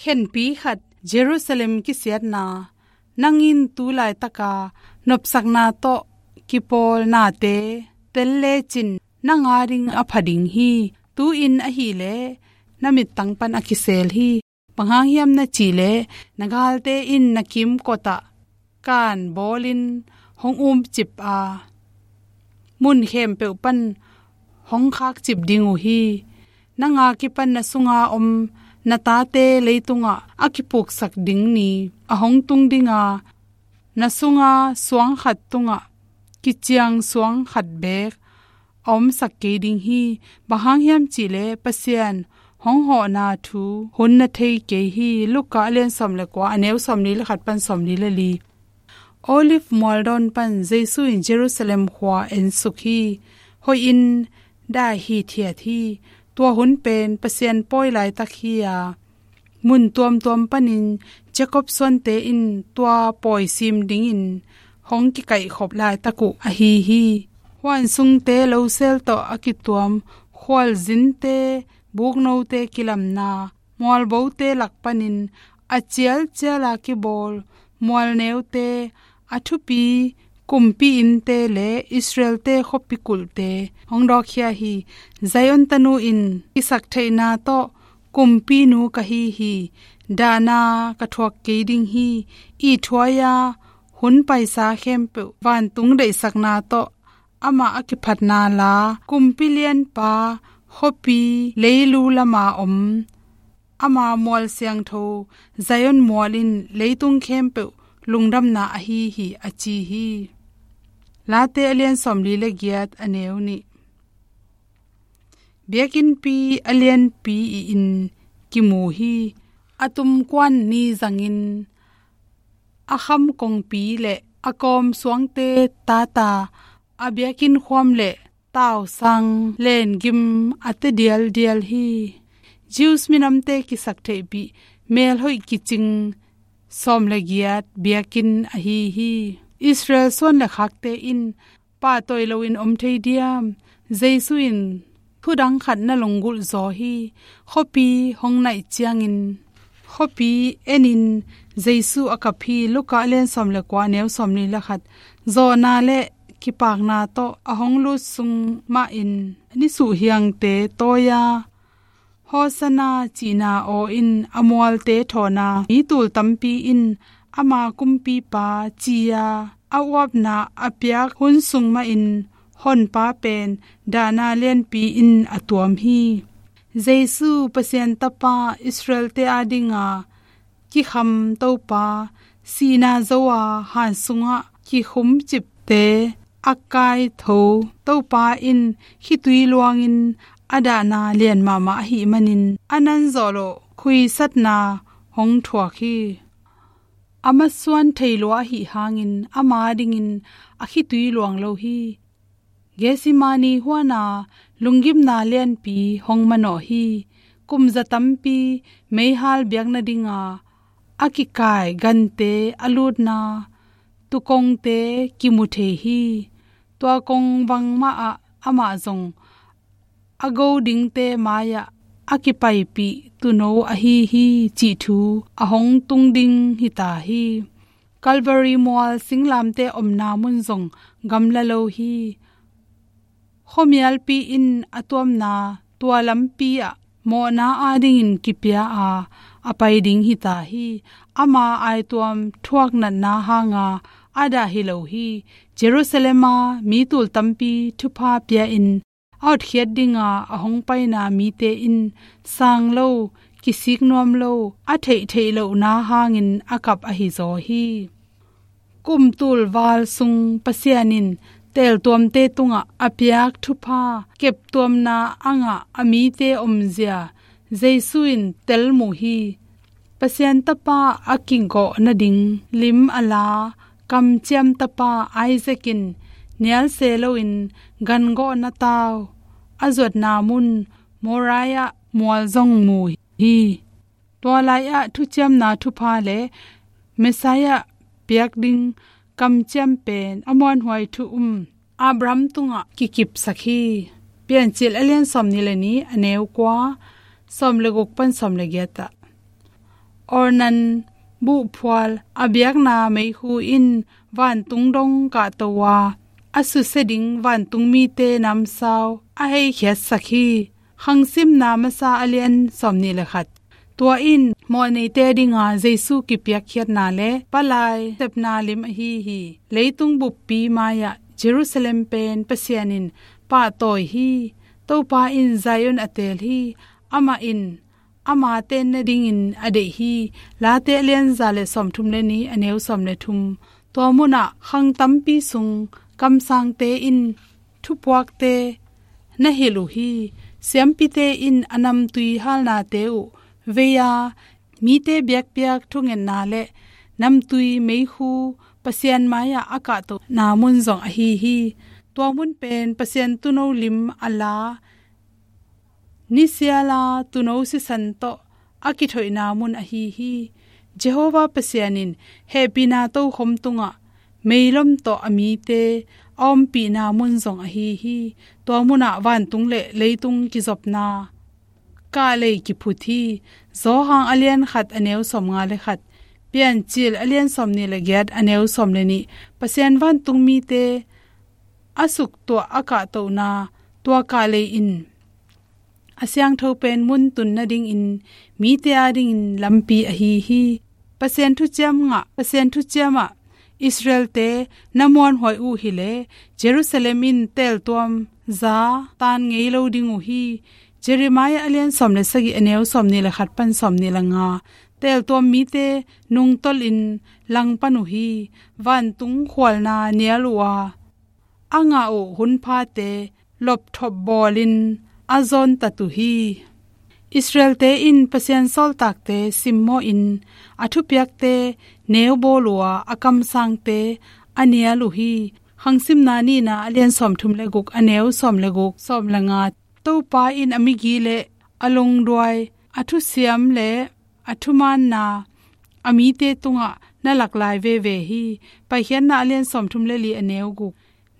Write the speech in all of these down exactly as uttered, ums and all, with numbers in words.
Khenpi khat, Jerusalem kisiatna. Nang in tu laitaka nopsakna tawh kipawl nate tel lecin, nang ading a pha ding hi. Tu-in ahileh na mittang pan a kisel hi. Bang hang hiam na cih leh, na galte in na kimkotah kan bawlin hong umcip a, mun khempeuh pan hong khakcip ding uh hi. Nang a kipan na sunga om na tate leitungah a kipuksak ding ni a hong tung ding a, na sunga suang khat tungah kiciang suang khat beek a omsak kei ding hi. Bang hang hiam cih leh Pasian hong hawhna thu hun na thei kei hi. Luka a lian sawm le kua, a neu sawmli le khat pan sawmli le li. Olive mualdawn pan Jesu in Jerusalem khua ensuk hi. Hoihin dai hithiat hi. Tua hun pen Pasian pawi laitak hi a, mun tuamtuam panin Jacob suante in tua pawi sim dingin hong kikaihkhop laitak uh ahi hi. Huan sungte losel tawh a kituam khualzinte, buknote kilamna, mualbote lak panin a cialciala kibawl mualneute, a thupi kumpi innte le Israelte khuapi kulhte hong dawkkhia hi. Zion tanu in kisaktheihna tawh, kumpinu ka hi hi, dahna ka thuak kei ding hi, ithuaia hun paisa khempeuh vantung deihsakna tawh amah a kiphatna la, kumpi lianpa, khuapi leilu lama om ama mual siangtho Zion mual in leitung khempeuh lungdamna ahi hi, a ci hi. Late a lian sawmli le giat, a neu nih. Biakinnpi a lianpi in kimu hi. A tumkuan ni zangin a kham kongpi le a kawm suangte tata, a biakinn khuam le tausang lengim a te dialdial hi. Jews minamte kisaktheihpih, melhoih kicing sawm le giat biakinn ahi hi. Israel suan le khakte in pahtawi loin om thei diam? Jesu in thudang khat na lunggulh zaw hi. Khuapi hong naih ciangin, khuapi enin Jesu a kap hi. Luka a lian sawm le kua, a neu sawmli le khat. Zawhna le kipakna tawh a hong lut sung mahin nisuhhiangte tawi a, Hosanna cihna aw in a mualte thawn a, mi tul tampi in ama kumpipa ci-a a uapna a piak hun sung mahin Honpa pen dahna lianpi in a tuam hi. Jesu, Pasian Tapa, Israelte adinga kikham Topa, sihna zo a han sungah kikhumcipte a kaitho Topa in khitui luangin a dahna lian mahmah ahih manin a nanzawh loh khuisatna hong thuak hi. A masuan thei lua ahih hangin ama dingin a khitui luang lo hi. Gethsemane huana lunggimna lianpi hong manawh hi. Kum za tampi meihal biakna dinga a kikai gante a lutna tukongte kimu thei hi. Tua kong bangmah ah amah zong a go dingte mai-ah a kipaipih tuuno ahi hi cih thu a hong tung ding hita hi. Calvary mual singlamte omna mun zong gamla lo hi. Khuamialpi in a tuamna tua lampi ah mawhna adingin kipia a, a pai ding hita hi. Ama aituam thuak natna hanga a dah hi lo hi. Jerusalem a mi tul tampi thupha pia-in a hotkhiat dinga a hong paina mite in sang lo, kisik nuam lo, a theihtheih lohna hangin a kap ahi zaw hi. Kum tul val sung Pasian in teeltuamte tungah a piak thupha keptuamna a ngah a mite omzia Jesu in tel mu hi. Pasian Tapa a kigawh nading lim a la kamciam tapa Isaac in nial se loin gangawhna tau a zuatna mun Moriah mual zong mu hi. Tua lai-ah thuciamna thupha le Messiah piak ding kamciam pen a muanhuai thu um Abraham tungah kikipsak hi. Piancil a lian sawmnih le nih, a neu kua, sawm le guk pan sawm le giat ah. Ornan buhphual a biakna meikhu in vantung dong kahto a, a susia ding vantung mite namsau a heikhiatsak hi. Khangsimna masa a lian sawmnih le khat. Tua in mawhneite dinga Jesu kipiakkhiatna le palai sepna lim ahi hi. Leitung buppi mai-ah Jerusalem pen Pasian in pahtawi hi. Topa in Zion a teel hi. Amah in ama tenna dingin a deih hi. Late a lian za le sawmthum le nih, a neu sawm le thum. Tua munah khang tampi sung kamsangte in thupuakte na hilh uh hi. Siampite in a namtui halnate uh vei-a, mite biakpiak thungetna le namtui meikhu Pasian mai-ah a kahtohna mun zong ahi hi. Tua mun pen Pasian tuuno lim a la, nisiala tuuno sisan tawh a kithoihna mun ahi hi. Jehovah Pasian in hehpihna tokhom tungah meilom tawh a mite a ompihna mun zong ahi hi. Tua munah vantung le leitung kizopna kahlei kiphut hi. Johan a lian khat, a neu sawmnga le khat. Piancil a lian sawmnih le giat, a neu sawm le nih. Pasian vantung mite a suktuah a kahtohna tua kahlei in a siangtho pen mun tun nadingin mite adingin lampi ahi hi. Pasian thuciam ngah, Pasian thuciamah Israelte na muanhuai uh hileh Jerusalem in teeltuam za taan ngei lo ding uh hi. Jeremiah a lian sawm le sagih, a neu sawmnih le khat pan sawmnih le nga. Teeltuam mite nungtolhin langpan uh hi. Vantung khualna nial uh a, a ngah uh hunphate lopthop bawlin a zawntat uh hi. Israelte in Pasian sawltakte simmawhin a thupiakte neubawl uh a, a kamsangte a nial uh hi. Khangsimna nihna a lian sawmthum le guk, a neu sawm le guk, sawm le nga. Topa in a migi le a lungduai, a thusiam le a thumaanna a mite tungah na lak lai veve hi. Paikhiatna a lian sawmthum le li, a neu guk.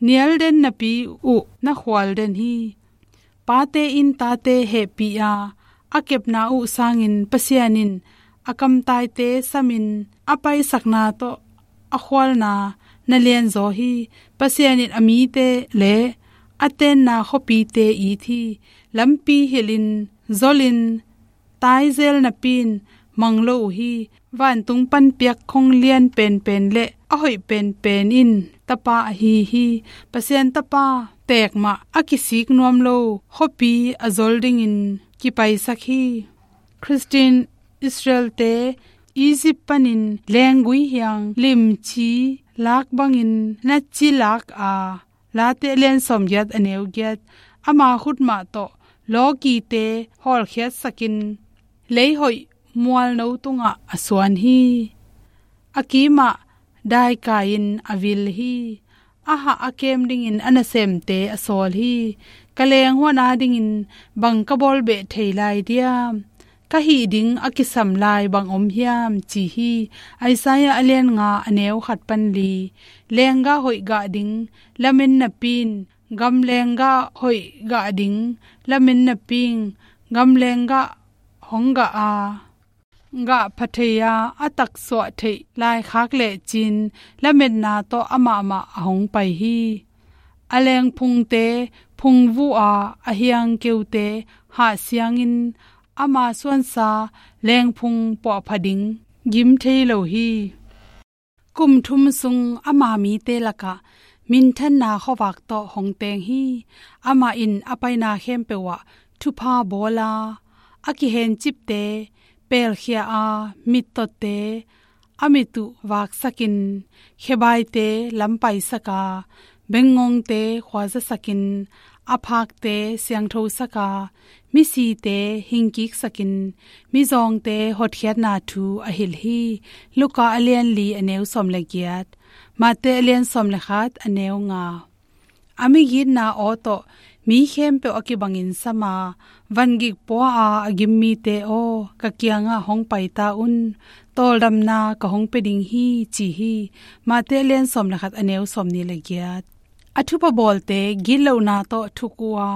Nial den napi uh na khual den hi. Pate in tate hehpih a, a kepna uh sangin Pasian in a kamtaite samin a paisakna tawh a khualna na lianzaw hi. Pasian in a mite le a tenna khuapite it hi. Lampi hilhin zolhin taizel napi in mang lo uh hi. Vantung panpiak khong lian penpen le a hoih penpen in Tapa ahi hi. Pasian Tapa teek mah a kisik nuam lo khuapi a zol dingin kipaisak hi. Khristian Israelte Egypt panin lenggui hiang limci lak bangin na ci lak a, Late a lian sawmgiat, a neu giat. Ama khut mah tawh lawkite hawlkhiatsakin leihoih mualno tungah a suan hi. A kimah daikai-in a vil hi. A hah a kem dingin a nasemte a sawl hi. Ka lenghuan adingin bang ka bawlbeh thei lai diam? Ka hih ding a kisam lai bang om hiam, ci hi. Isaiah a lian nga, a neu khat pan li. Lenggah hoih gah ding lamen napi in, gamlenggah hoih gah ding lamen napi in, gamlenggah hong gah a, gah pha thei a, a taksuah theih laikhak lecin lametna tawh amahmah a hong pai hi. A lengphungte phungvuh a, a hiangkeute hahsiangin ama suansa lengphung puahpha ding gim thei lo hi. Kum thum sung ama mite lakah minthanna khuavak tawh hong teng hi. Amah in a paina khempeuh ah thupha bawl a, a kihencipte pelkhia a, mittawtte a mit uh vaksakin, khebaite lampaisak a, bengngongte khuazasakin, a phakte siangthosak a, misite hingkiksakin, mizawngte hotkhiatna thu a hilh hi. Luka a lian li, a neu sawm le giat. Mate a lian sawm le khat, a neu nga. A migitna aw tawh mi khempeuh a kibangin sam a, vangik pua a a gim mite aw, ka kiangah hong paita un, tawldamna ka hong pia ding hi, ci hi. Mate a lian sawm le khat, a neu sawmnih le giat. A thupha bawlte gitlohna tawh thuk uh a,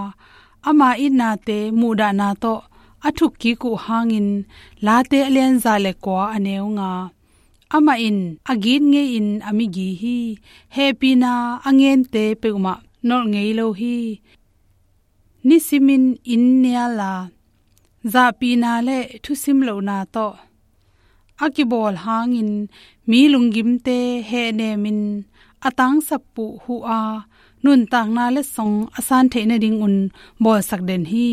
ama itnate muhdahna tawh a thukkik uh hangin, Late a lian za le kua a neu nga. Amah in a git ngei-in a mi gi hi. Hehpihna a ngente peuhmah nolh ngei lo hi. Nisimin inn nial a, zahpihna le thusim lohna tawh a kibawl hangin mi lunggimte hehnemin a tangsap uh hu a, nuntakna letsong a san theih nadingun bawlsak den hi.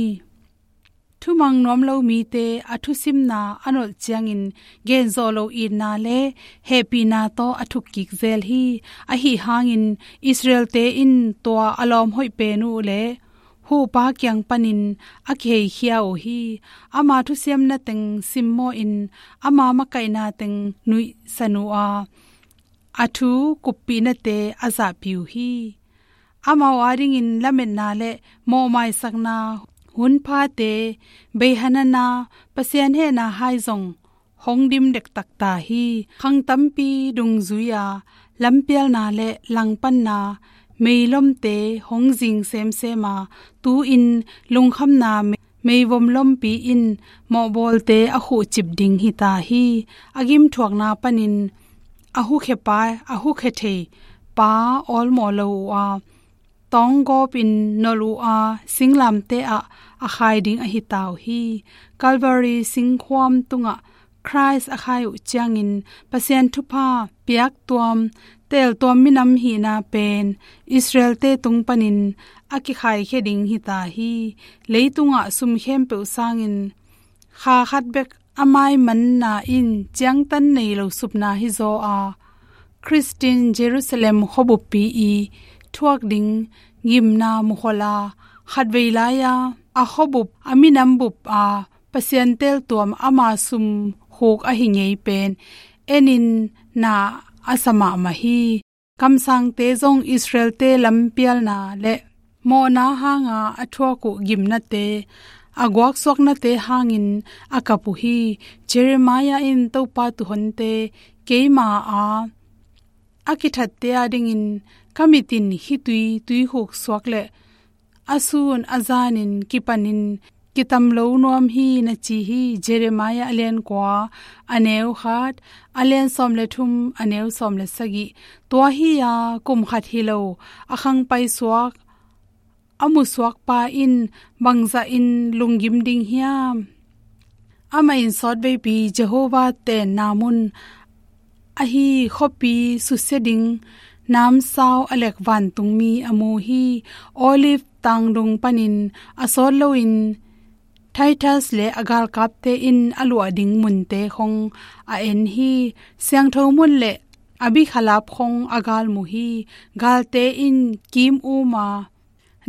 Thumang nuam lo mite a thusimna a nolh ciangin genzawh lo itna le hehpihna tawh a thukkik zel hi. Ahi hangin Israelte in tua a lawm hoih pen uh le huhpa kiang panin a kiheikhia uh hi. Ama thusiamna teng simmawhin ama makaihna teng nuihsan uh a, a thu kuppihnate a zahpih uh hi. Amau adingin lametna le mawhmaisakna hunphate, beihanana, Pasian hehna hai zong hong dim dektak ta hi. Khang tampi dungzui-a lampialna le langpanna meilomte hong zing semsem a, tu-in lungkhamna mei- meivom lompi in mawhbawlte a khuhcip ding hi ta hi. A gimthuakna panin a hukhe pa, a hukhe thei pa awlmawh lo uh a, tawnggawpin nolh uh a, singlamteh ah a khai ding ahi ta uh hi. Calvary singkhuam tungah Khrist a khai uh ciangin Pasian thupha piaktuam, teeltuam minam hihna pen Israelte tung panin a kikhaikhia ding hi ta hi. Leitungah sum khempeuh sangin kha khat bek a maimanna in ciangtan nei lo supna hizaw a, Khristian Jerusalem khuabuppi i thuak ding gimna mukhol a, khatvei lai-a a khuabup, a minam bup a Pasian teeltuam ama sum khuk ahi ngei pen enin na a sa mahmah hi. Kamsangte zong Israelte lampialna le mawhna hanga a thuak uh gimnate, a guaksuaknate hangin a kap uh hi. Jeremiah in Topa tuuhonte keima a, a kithatte adingin ka mit in khitui tuikhuk suak le a sun a zanin kipanin kitam lo nuam hi, na ci hi. Jeremiah a lian kua, a neu khat, a lian sawm le thum, a neu sawm le sagih. Tua hi-a kum khat hi lo a khangpai suak, a musuakpa in bangzahin lunggim ding hiam? Amah in sawtveipi Jehovah tenna mun ahi khuapi susia ding namsau a lek vantungmi a mu hi. Olive tangdung panin a sawt loin Titus le a galkapte in a luah ding munte khong a en hi. Siangtho mun le a bikhalap khong a galmu hi. Galte in kim um a,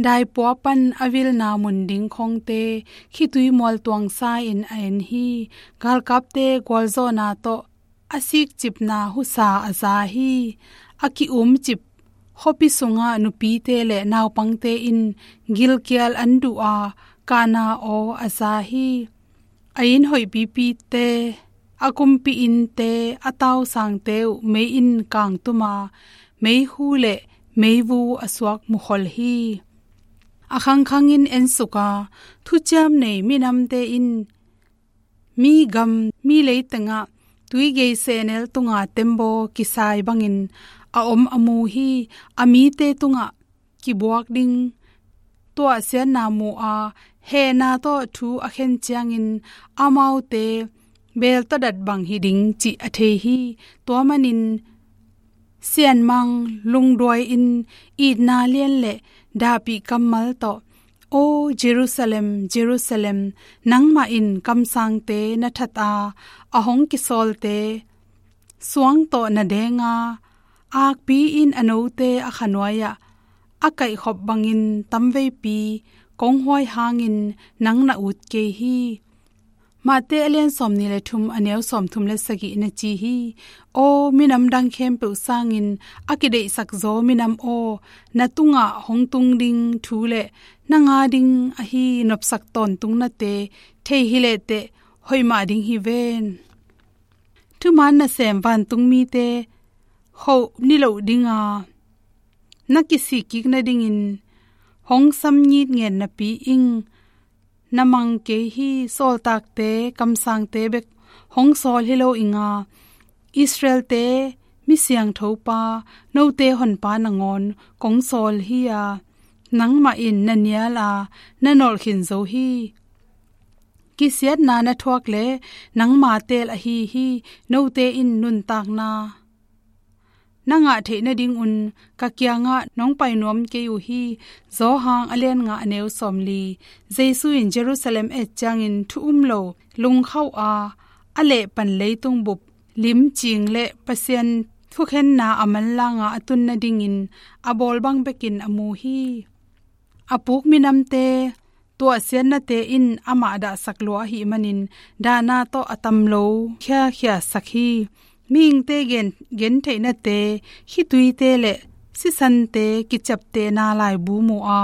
daipua pan a vilna mun ding khongte khitui mualtuangsa in a en hi. Galkapte gualzawhna tawh a sikcipna husa a za hi. A ki-umcip khuapi sungah nupite le naupangte in gilkial an duh a, kahna aw a za hi. A inn hoihpipite, a kumpi innte, a tausangte uh mei in kangtum a, meikhu le meivu a suak mukhol hi. A khangkhangin ensuk a, thuciam nei minamte in mi gam, mi leitengah tuigei sehnel tunga tembaw kisai bangin a om a mu hi. A mite tungah kibuak ding tuahsiatna mu a, hehna tawh thu a khen ciangin amaute beltawdat bang hi ding cih a thei hi. Tua manin sianmang lungduai-in itna lian le dahpih kammal tawh, "O Jerusalem, Jerusalem, nangmah in kamsangte na that a, a hong kisawlte suang tawh na deng a, akpi in a note a khanuai-ah a kaihkhop bangin tamveipi kong huai hangin nang na ut kei hi." Mate a lian sawmnih le thum, a neu sawmthum le sagih, na ci hi. Aw minam dang khempeuh sangin a kideihsak zaw minam aw, na tungah hong tung ding thu le nang a ding ahi nopsak tawntungnate thei hi lehteh hoih mah ding hi ven. Thuman nasem vantungmite khoh niloh dinga na kisik kik nadingin hong sam ngitnget napi ing. na mang kei hi. Sawltakte, kamsangte bek hong sawl hi lo ing a, Israelte mi siangtho pa, note honpa nangawn kong sawl hi a, nangmah in na nial a, na nolh khin zo hi. Kisiatna na thuak le nangma teel ahi hi. Note in nuntakna na ngah theih nadingun ka kiangah nong pai nuam kei uh hi. Johan a lian nga, a neu sawmli. Jesu in Jerusalem et ciangin thu um lo, lungkhauh a, a lehpan leitung bup limcing le Pasian thukhenna a manlanga a tun nadingin a bawl bang bekin a mu hi. A puk minamte tuahsiatnate in amah dahsak lua ahih manin, dahna tawh a tam lo khiakhiasak hi. Mihingte gen, gentheihnate, khituite le sisante kiciaptehna laibu mu a,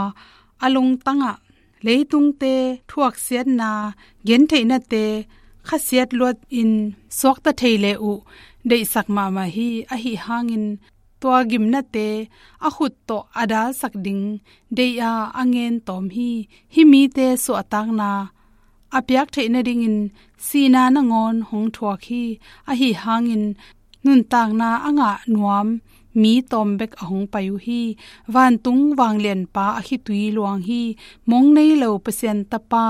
a lungtangah leitungte thuaksiatna, gentheihnate khasiat luatin suakta thei le uh deihsak mahmah hi. Ahi hangin tua gimnate a khut tawh a dalsak ding deih a, a ngen tawm hi. Hih mite suahtakna a piak theih nadingin sihna nangawn hong thuak hi. Ahi hangin nuntakna a ngah nuam mi tawm bek a hong pai uh hi. Vantung vanglianpa a khitui luang hi. Mong nei lo Pasian Tapa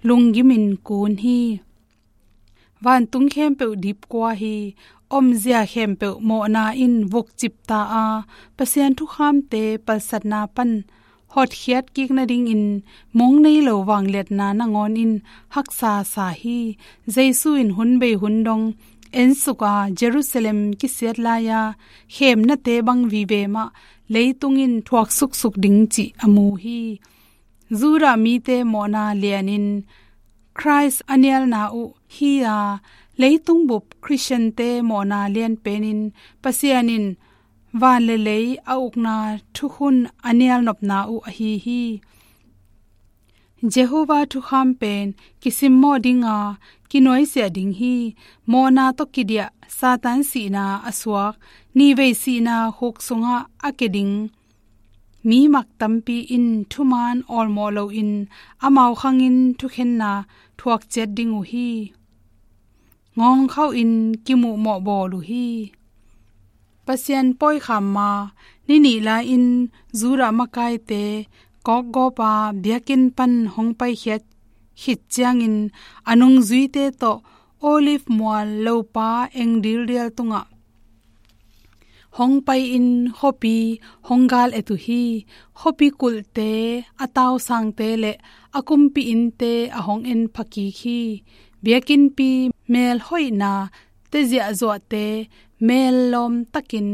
lunggimin kun hi. Vantung khempeuh dipkua hi. Omzia khempeuh mawhna in vukcip ta a, Pasian thukhamte palsatna pan hotkhiat kik nadingin mong nei lo vangliatna nangawn in haksa sa hi. Jesu in hun bei hun dong ensuk a, Jerusalem kisiat lai-a khemnate bang vive mah leitung in thuak suksuk ding cih a mu hi. Judah mite mawhna lianin Christ a nialna uh hi a, leitung bup Khristiante mawhna lianpenin Pasian in van le lei a ukna thukhun a nialnopna uh ahi hi. Jehovah thukham pen kisimmawh ding a, kinuaisiah ding hi. Mawhna tawh kidiah Satan sihna a suak, nihvei sihna khuk sungah a ke ding mi mak tampi in thuman awlmawh loin amau khangin thukhenna thuak ciat ding uh hi. Ngawngkhauhin kimuhmawh bawl uh hi. Pasian pawikham ma ni nih lai-in Judah makaite kawkgawpa biakinn pan hong paikhiat khit ciangin a nungzuite tawh Olive mual lopa eng dildial tungah hong pai-in khuapi hong gal et uh hi. Khuapi kulhte, a tausangte le a kumpi innte a hong en phakik hi. Biakinnpi melhoihna, teziahzuahte mel lawmtakin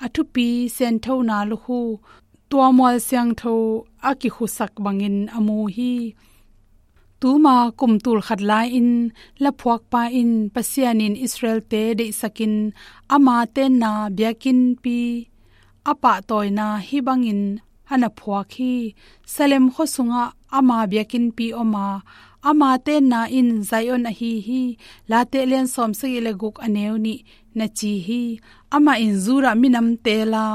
a thupi sianthona lukhu tua mual siangtho a kikhusak bangin a mu hi. Tuma kum tulkhat lai-in laphuakpa in Pasian in Israelte deihsakin ama tenna biakinnpi a pahtawina hih bangin a na phuak hi. Salem khua sungah ama biakinnpi om a, ama tenna in Zion ahi hi. Late lian sawmsagih le guk, a neu nih na ci hi. Amah in Judah minamte la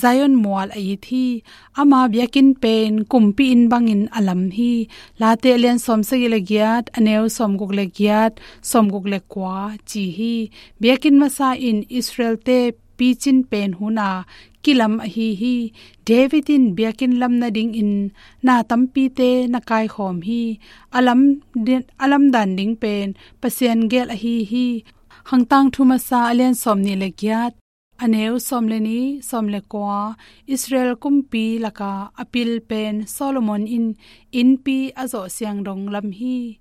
Zion mual a it hi. Ama biakinn pen kumpi inn bangin a lam hi. Late lian sawmsagih le giat, a neu sawmguk le giat, sawmguk le kua ci hi. Biakinn masa in Israelte picin pen hun a kilam ahi hi. David in biakinn lam nadingin na tampite na kaikhawm hi. A lam di-, a lamdan ding pen Pasian gel ahi hi. Khangtangthu masa a lian sawmnih le giat, a neu sawm le nih, sawm le kua, Israel kumpi laka a pil pen Solomon in innpi a zawh siang dong lam hi.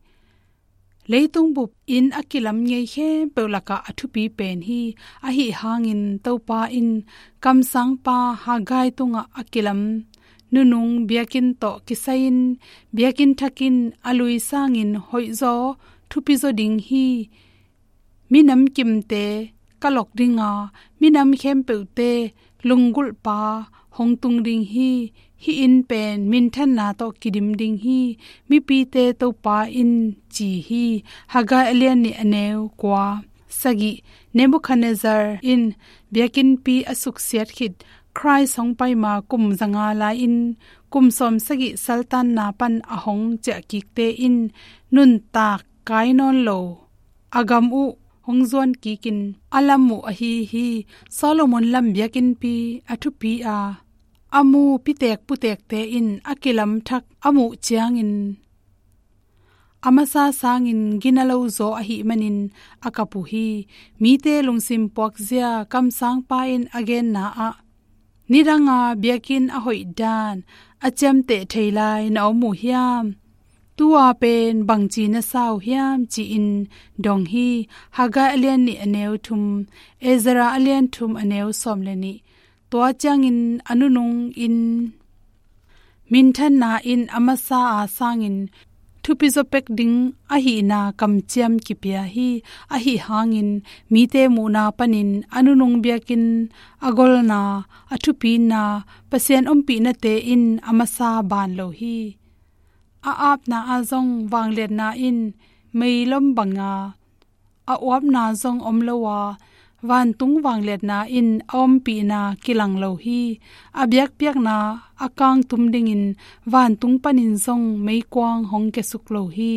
Leitung bup inn a kilam ngei khempeuh lakah a thupi pen hi. Ahi hangin Topa in kamsangpa Haggai tungah a kilam nunung biakinn tawh kisai-in biakinn thakin a lui sangin hoihzaw thupizaw ding hi. Minam kimte ka lok ding a, minam khempeuhte lunggulhpa hong tung ding hi. Hih inn pen minthanna tawh kidim ding hi. Mipite Topa in ci hi. Haggai a lian nih, a neu kua. Sagih. Nebuchadnezzar in biakinnpi a suksiat khit Christ hong paima kum zanga lai-in kum sawmsagih saltanna pan a hong ciahkikte in nuntak kai nawn lo a gam uh hong zuan kikin a lam uh ahi hi. Solomon lam biakinnpi a thupi a, a mu pitek putekte in a kilamthak a muh ciangin a masa sangin gina lo zaw ahih manin a kap uh hi. Mite lungsim puakzia kamsangpa in a genna ah, nidanga biakinn a hoih dan a ciamteh thei lai na om uh hiam? Tua pen bangci na sa uh hiam, ci-in dong hi. Haggai a lian nih a neu thum, Ezra a lian thum a neu sawm le nih. Tua ciangin a nunung in minthanna in a masa a sangin thupi zaw pek ding ahihna kamciam kipia hi. Ahi hangin mite muhna panin a nunung biakinn a golna, a thupina, Pasian ompihnate in a masa ban lo hi. A apna ah zong vangliatna in meilom banga a uapna zong om lo a, vantung vangliatna in a ompihna kilang lo hi. A biakpiakna a kangtum dingin vantung panin zong meikuang hong kiasuk lo hi.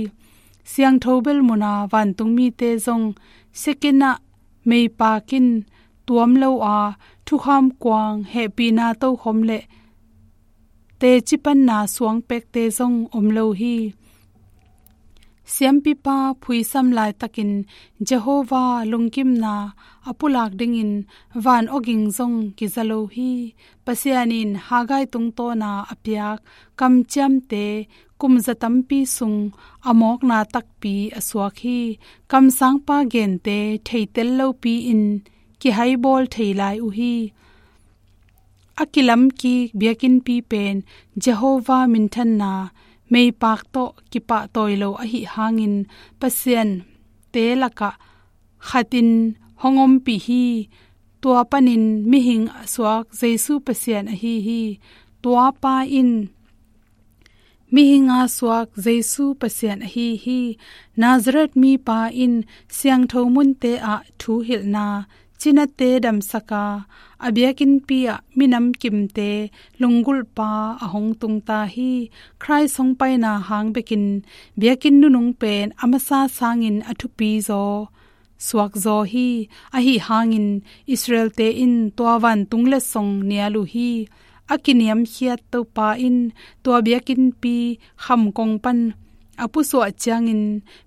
Siangtho bel muna vantung mite zong siakinah meipakin tuam lo a, thukham kuang, hehpihna tokhom le teci panna suang pekte zong om lo hi. Siampipa phuisam laitakin Jehovah lungkimna a pulak dingin van awging zong kiza lo hi. Pasian in Haggai tungtawna a piak kamciamte kum za tampi sung a mawkna takpi a suak hi. Kamsangpa gente theitel lopi-in kihaibawl thei lai uh hi. A kilamkik biakinnpi pen Jehovah minthanna meipak tawh kipahtawi lo ahi hangin Pasian te lakah khatin hong ompih hi. Tua panin mihing a suak Jesu Pasian ahi hi. Tua pa in mihing a suak Jesu Pasian ahi hi. Nazareth mipa in siangtho munte ah thuhilhna, cinate damsaka, a biakinnpi ah minam kimte lunggulhpa a hong tungta hi. Christ hong paina hang bekin biakinn nunung pen a masa sangin a thupi zaw suak zaw hi. Ahi hangin Israel-te in tua vantung letsong nial uh hi. A kiniamkhiat Topa in tua biakinnpi khamkong pan a pusuah ciangin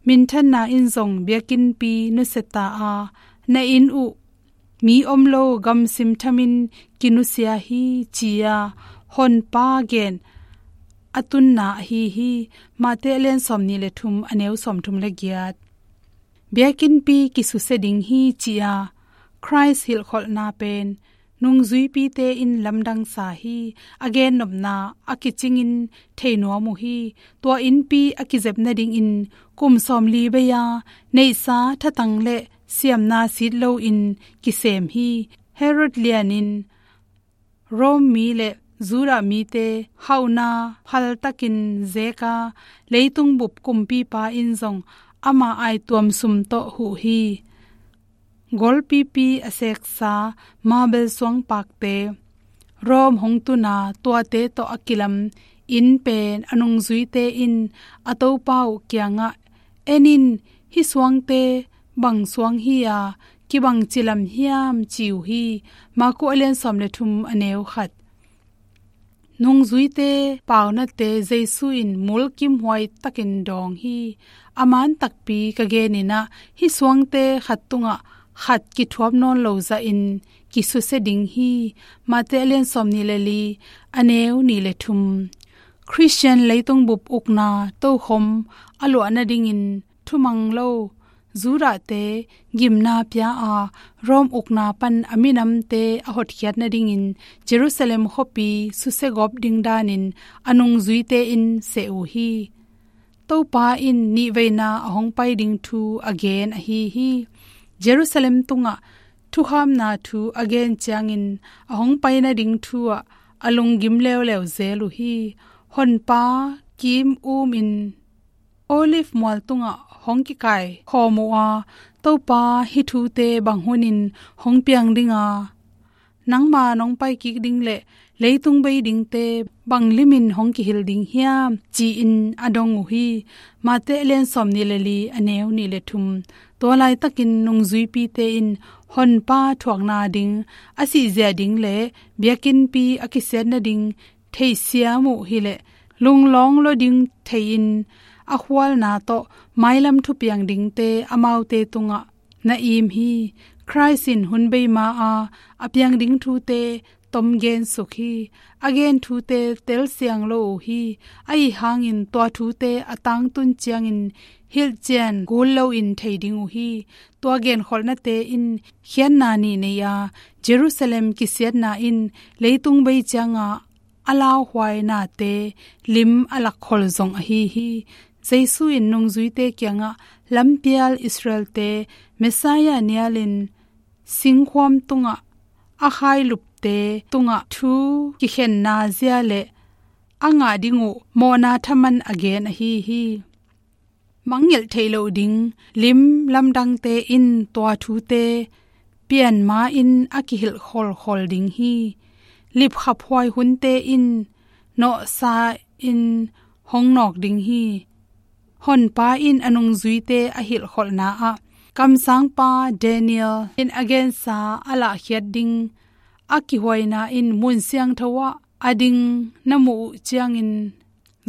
minthanna in zong biakinnpi nusia ta a, na inn uh mi om lo gamsim thamin kinusia hi, ci-a Honpa gen a tunna ahi hi. Matthai a lian sawmnih le thum a neu sawmthum le giat. Biakinnpi kisusia ding hi, ci-a Christ hilhkholhna pen nungzuipite in lamdang sa hi. A gennopna a kicingin theinuam uh hi. Tua innpi a kizep nadingin kum sawmli bei-a neihsa thatang le siamna sit loin kisem hi. Herod lian in Rome mi le Judah mite hauhna phaltakin zeka leitung bup kumpipa in zong ama aituam sum tawh huh hi. Golpipi a seksa mabel suangpakte, Rome hong tuna tuate tawh a kilam inn pen a nungzuite in a topa uh kiangah, "En in, hih suangte bang suang hi-a kibang cilam hiam?" ci uh hi. Marku a lian sawm le thum a neu khat. Nungzuite paunate Jesu in mulkimhuai takin dawng hi. A man takpi ka genin ah hih suangte khat tungah khat kithuap nawn lo zahin kisusia ding hi. Matthai a lian sawmnih le li a neu nih le thum. Khristian leitung bup ukna tokhom a luah nadingin thumang lo Judahte gimna pia a, Rome ukna pan a minamte a hotkhiat nadingin Jerusalem khuapi susiagawp ding danin a nungzuite in seh uh hi. Topa in nihveina a hong pai ding thu a gen ahi hi. Jerusalem tungah thukhamna thu a gen ciangin a hong pai nading thu ah a lunggim leuleu zel uh hi. Honpa kim um in Olive mual tungah hong kikai khawm uh a, "Topa, hih thute bang hunin hong piang ding a, nangma nong pai kik ding le leitung bei dingte bang limin hong kihilh ding hiam, ci-in a dong uh hi. Mate a lian sawmnih le li, a neu nih le thum. Tua laitakin nungzuipite in Honpa thuakna ding, a sihzia ding le biakinnpi a kisiat nading theihsiam uh hileh, lunglawng lua ding thei-in a khualna tawh mailam thupiang dingte amaute tungah na im hi. Khrist in hun bei ma-a a piang ding thute tom gen suk hi. A gen thute telsiang lo uh hi. Ahi hangin tua thute a tangtun ciangin hilhcian kul loin thei ding uh hi. Tua genkholhnate in khiatna nih nei a, Jerusalem kisiatna in leitung bei cianga a lauhuainate lim a lakkholh zong ahi hi. Jesu in nungzuite kiangah lampial Israelte Messiah nialin singkhuam tungah a khailupte tungah thu kikhenna zia le a ngah ding uh mawhna thaman a gen ahi hi. Mangngilh theih loh ding lim lamdangte in tua thute pian ma-in a kihilh kholkhol ding hi. Lipkhaphuai hunte in nawhsa in hong nawk ding hi. Honpa in a nungzuite a hilhkholhna ah kamsangpa Daniel in a gensa a lahkhiat ding a kihuaina in mun siangtho ah a ding na muh uh ciangin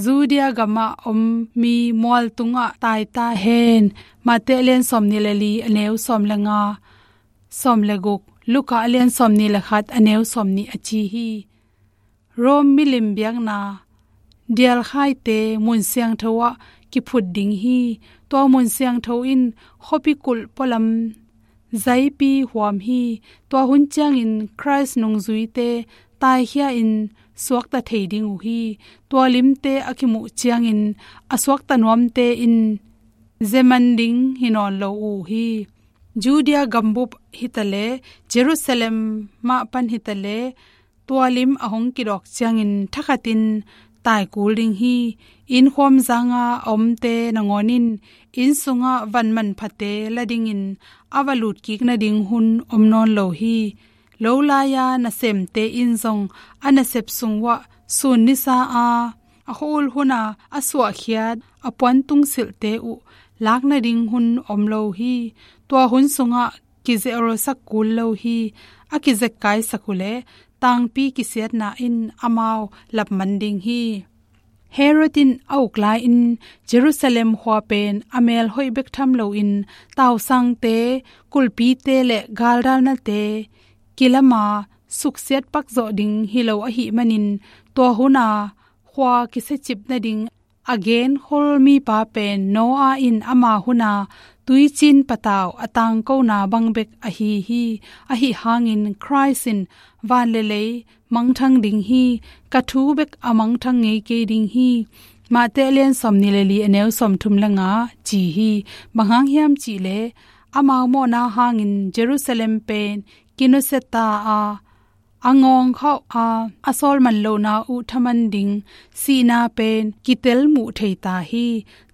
Judea gamah om mi mual tungah tai ta hen. Mate a lian sawmnih le li, a neu sawm le nga, sawm le guk, Luka a lian sawmnih le khat, a neu sawmnih a ci hi. Rom milim biakna dialkhaite mun siangtho ah kiphut ding hi. Tua mun siangtho in khuapi kulh pualam zaipi huam hi. Tua hun ciangin Khrist nungzuite taikhia in suakta thei ding uh hi. Tua limte a kimuh ciangin a suakta nuamte in zeman ding hi nawn lo uh hi. Judea gambup hitaleh, Jerusalem mah pan hitaleh, tua lim a hong kidawk ciangin thakhatin taikul ding hi. Innkhuam zanga a omte nangawn in inn sungah van manphate la dingin a va lutkik nading hun om nawn lo hi. Lo lai-a nasemte in zong a nasep sung uah sun nisa a, a khua-ul huna a suahkhiat a puan tungsilhte uh lak nading hun om lo hi. Tua hun sungah kizelsak kul lo hi. A kizekkaisak uhleh tangpi kisiatna in amau lapman ding hi. Herod in a uk lai-in Jerusalem khua pen a mel hoih bek tham loin tausangte, kulhpite le galdalnate kilama suksiat pakzawh ding hi lo ahih manin tua huna khua kisiacip nading a genkhol mipa pen Noah in ama huna tuicin patau a tangkona bang bek ahi hi. Ahi hangin Khrist in van le lei mangthang ding hi. Ka thu bek a mangthang ngei kei ding hi. Mate a lian sawmnih le li, a neu sawmthum le nga ci hi. Bang hang hiam cihleh amau mawhna hangin Jerusalem pen kinusia ta a, a ngawng khauh a, a sawlman lohna uh thaman ding sihna pen kitel muh thei ta hi.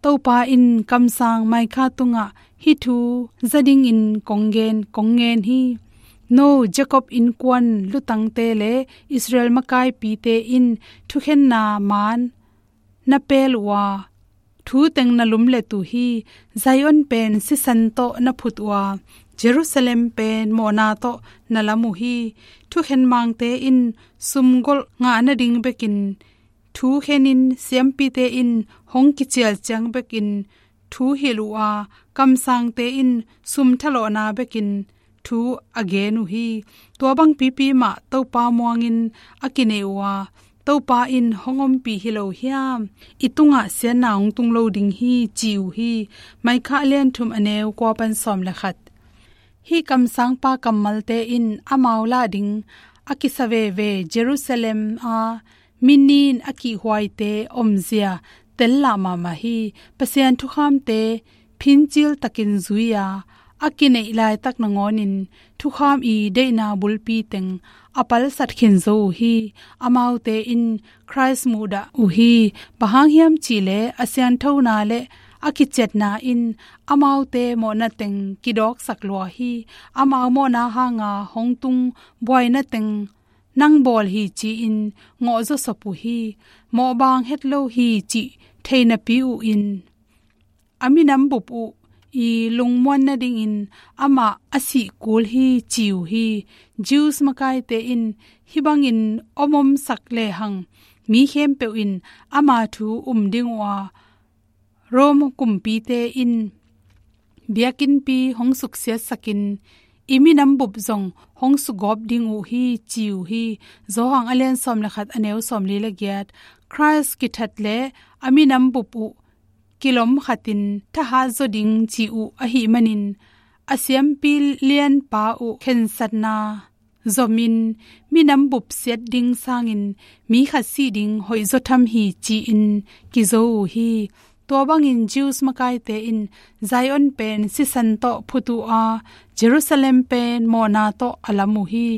Topa in kamsang Micah tungah hih thu za dingin kong gen, kong ngen hi. No Jacob innkuan lutangte le Israel makaipite in thukhenna maan na pel uh a, thu teng na lumlet uh hi. Zion pen sisan tawh na phut uh a, Jerusalem pen mawhna tawh na lam uh hi. Thukhen mangte in sumgolh ngah nading bekin thu khenin, siampite in hong kicial ciang bekin thu hilh uh a, kamsangte in sum thalawhna bekin thu a gen uh hi. Tua bang pipi mah Topa muangin a kinei uh a, Topa in hong ompih hi lo hiam? I tungah siatna hong tung lo ding hi, ci uh hi. Micah a lian thum, a neu kua pan sawm le khat. Hih kamsangpa kammalte in amau lah ding a kisa veve Jerusalem a mi nin a kihhuaite omzia tel lah mahmah hi. Pasian thukhamte phincil takin zui-a a kineih laitak nangawnin thukham i deihna bulpi teng a palsat khin zo uh hi. Amaute in Khrist muhdah uh hi. Bang hang hiam cihleh a sianthona le a kiciatna in amaute mawhna teng kidawksak lua hi. Amau mawhna hanga hong tung buaina teng nang bawl hi ci-in ngawh zawsop uh hi. Mawhbaang het lo hi cih thei napi uh in a minam bup uh i lungmuan nadingin amah a sih kul hi ci uh hi. Jews makaite in hih bangin om omsak lehang mi khempeuh in ama thu um ding uh a, Rome kumpite in biakinnpi hong suksiatsakin i minam bup zong hong sugawp ding uh hi ci uh hi. Johan a lian sawm le khat, a neu sawm li le giat. Christ kithat le a minam bup uh kilom khatin thahat zaw ding ci uh ahih manin a siampi lianpa uh khensatna zomin minam bup siat ding sangin mi khat sih ding hoih zaw tham hi ci-in kizo uh hi. Tua bangin Jews makaite in Zion pen sisan tawh phut uh a, Jerusalem pen mawhna tawh a lam uh hi.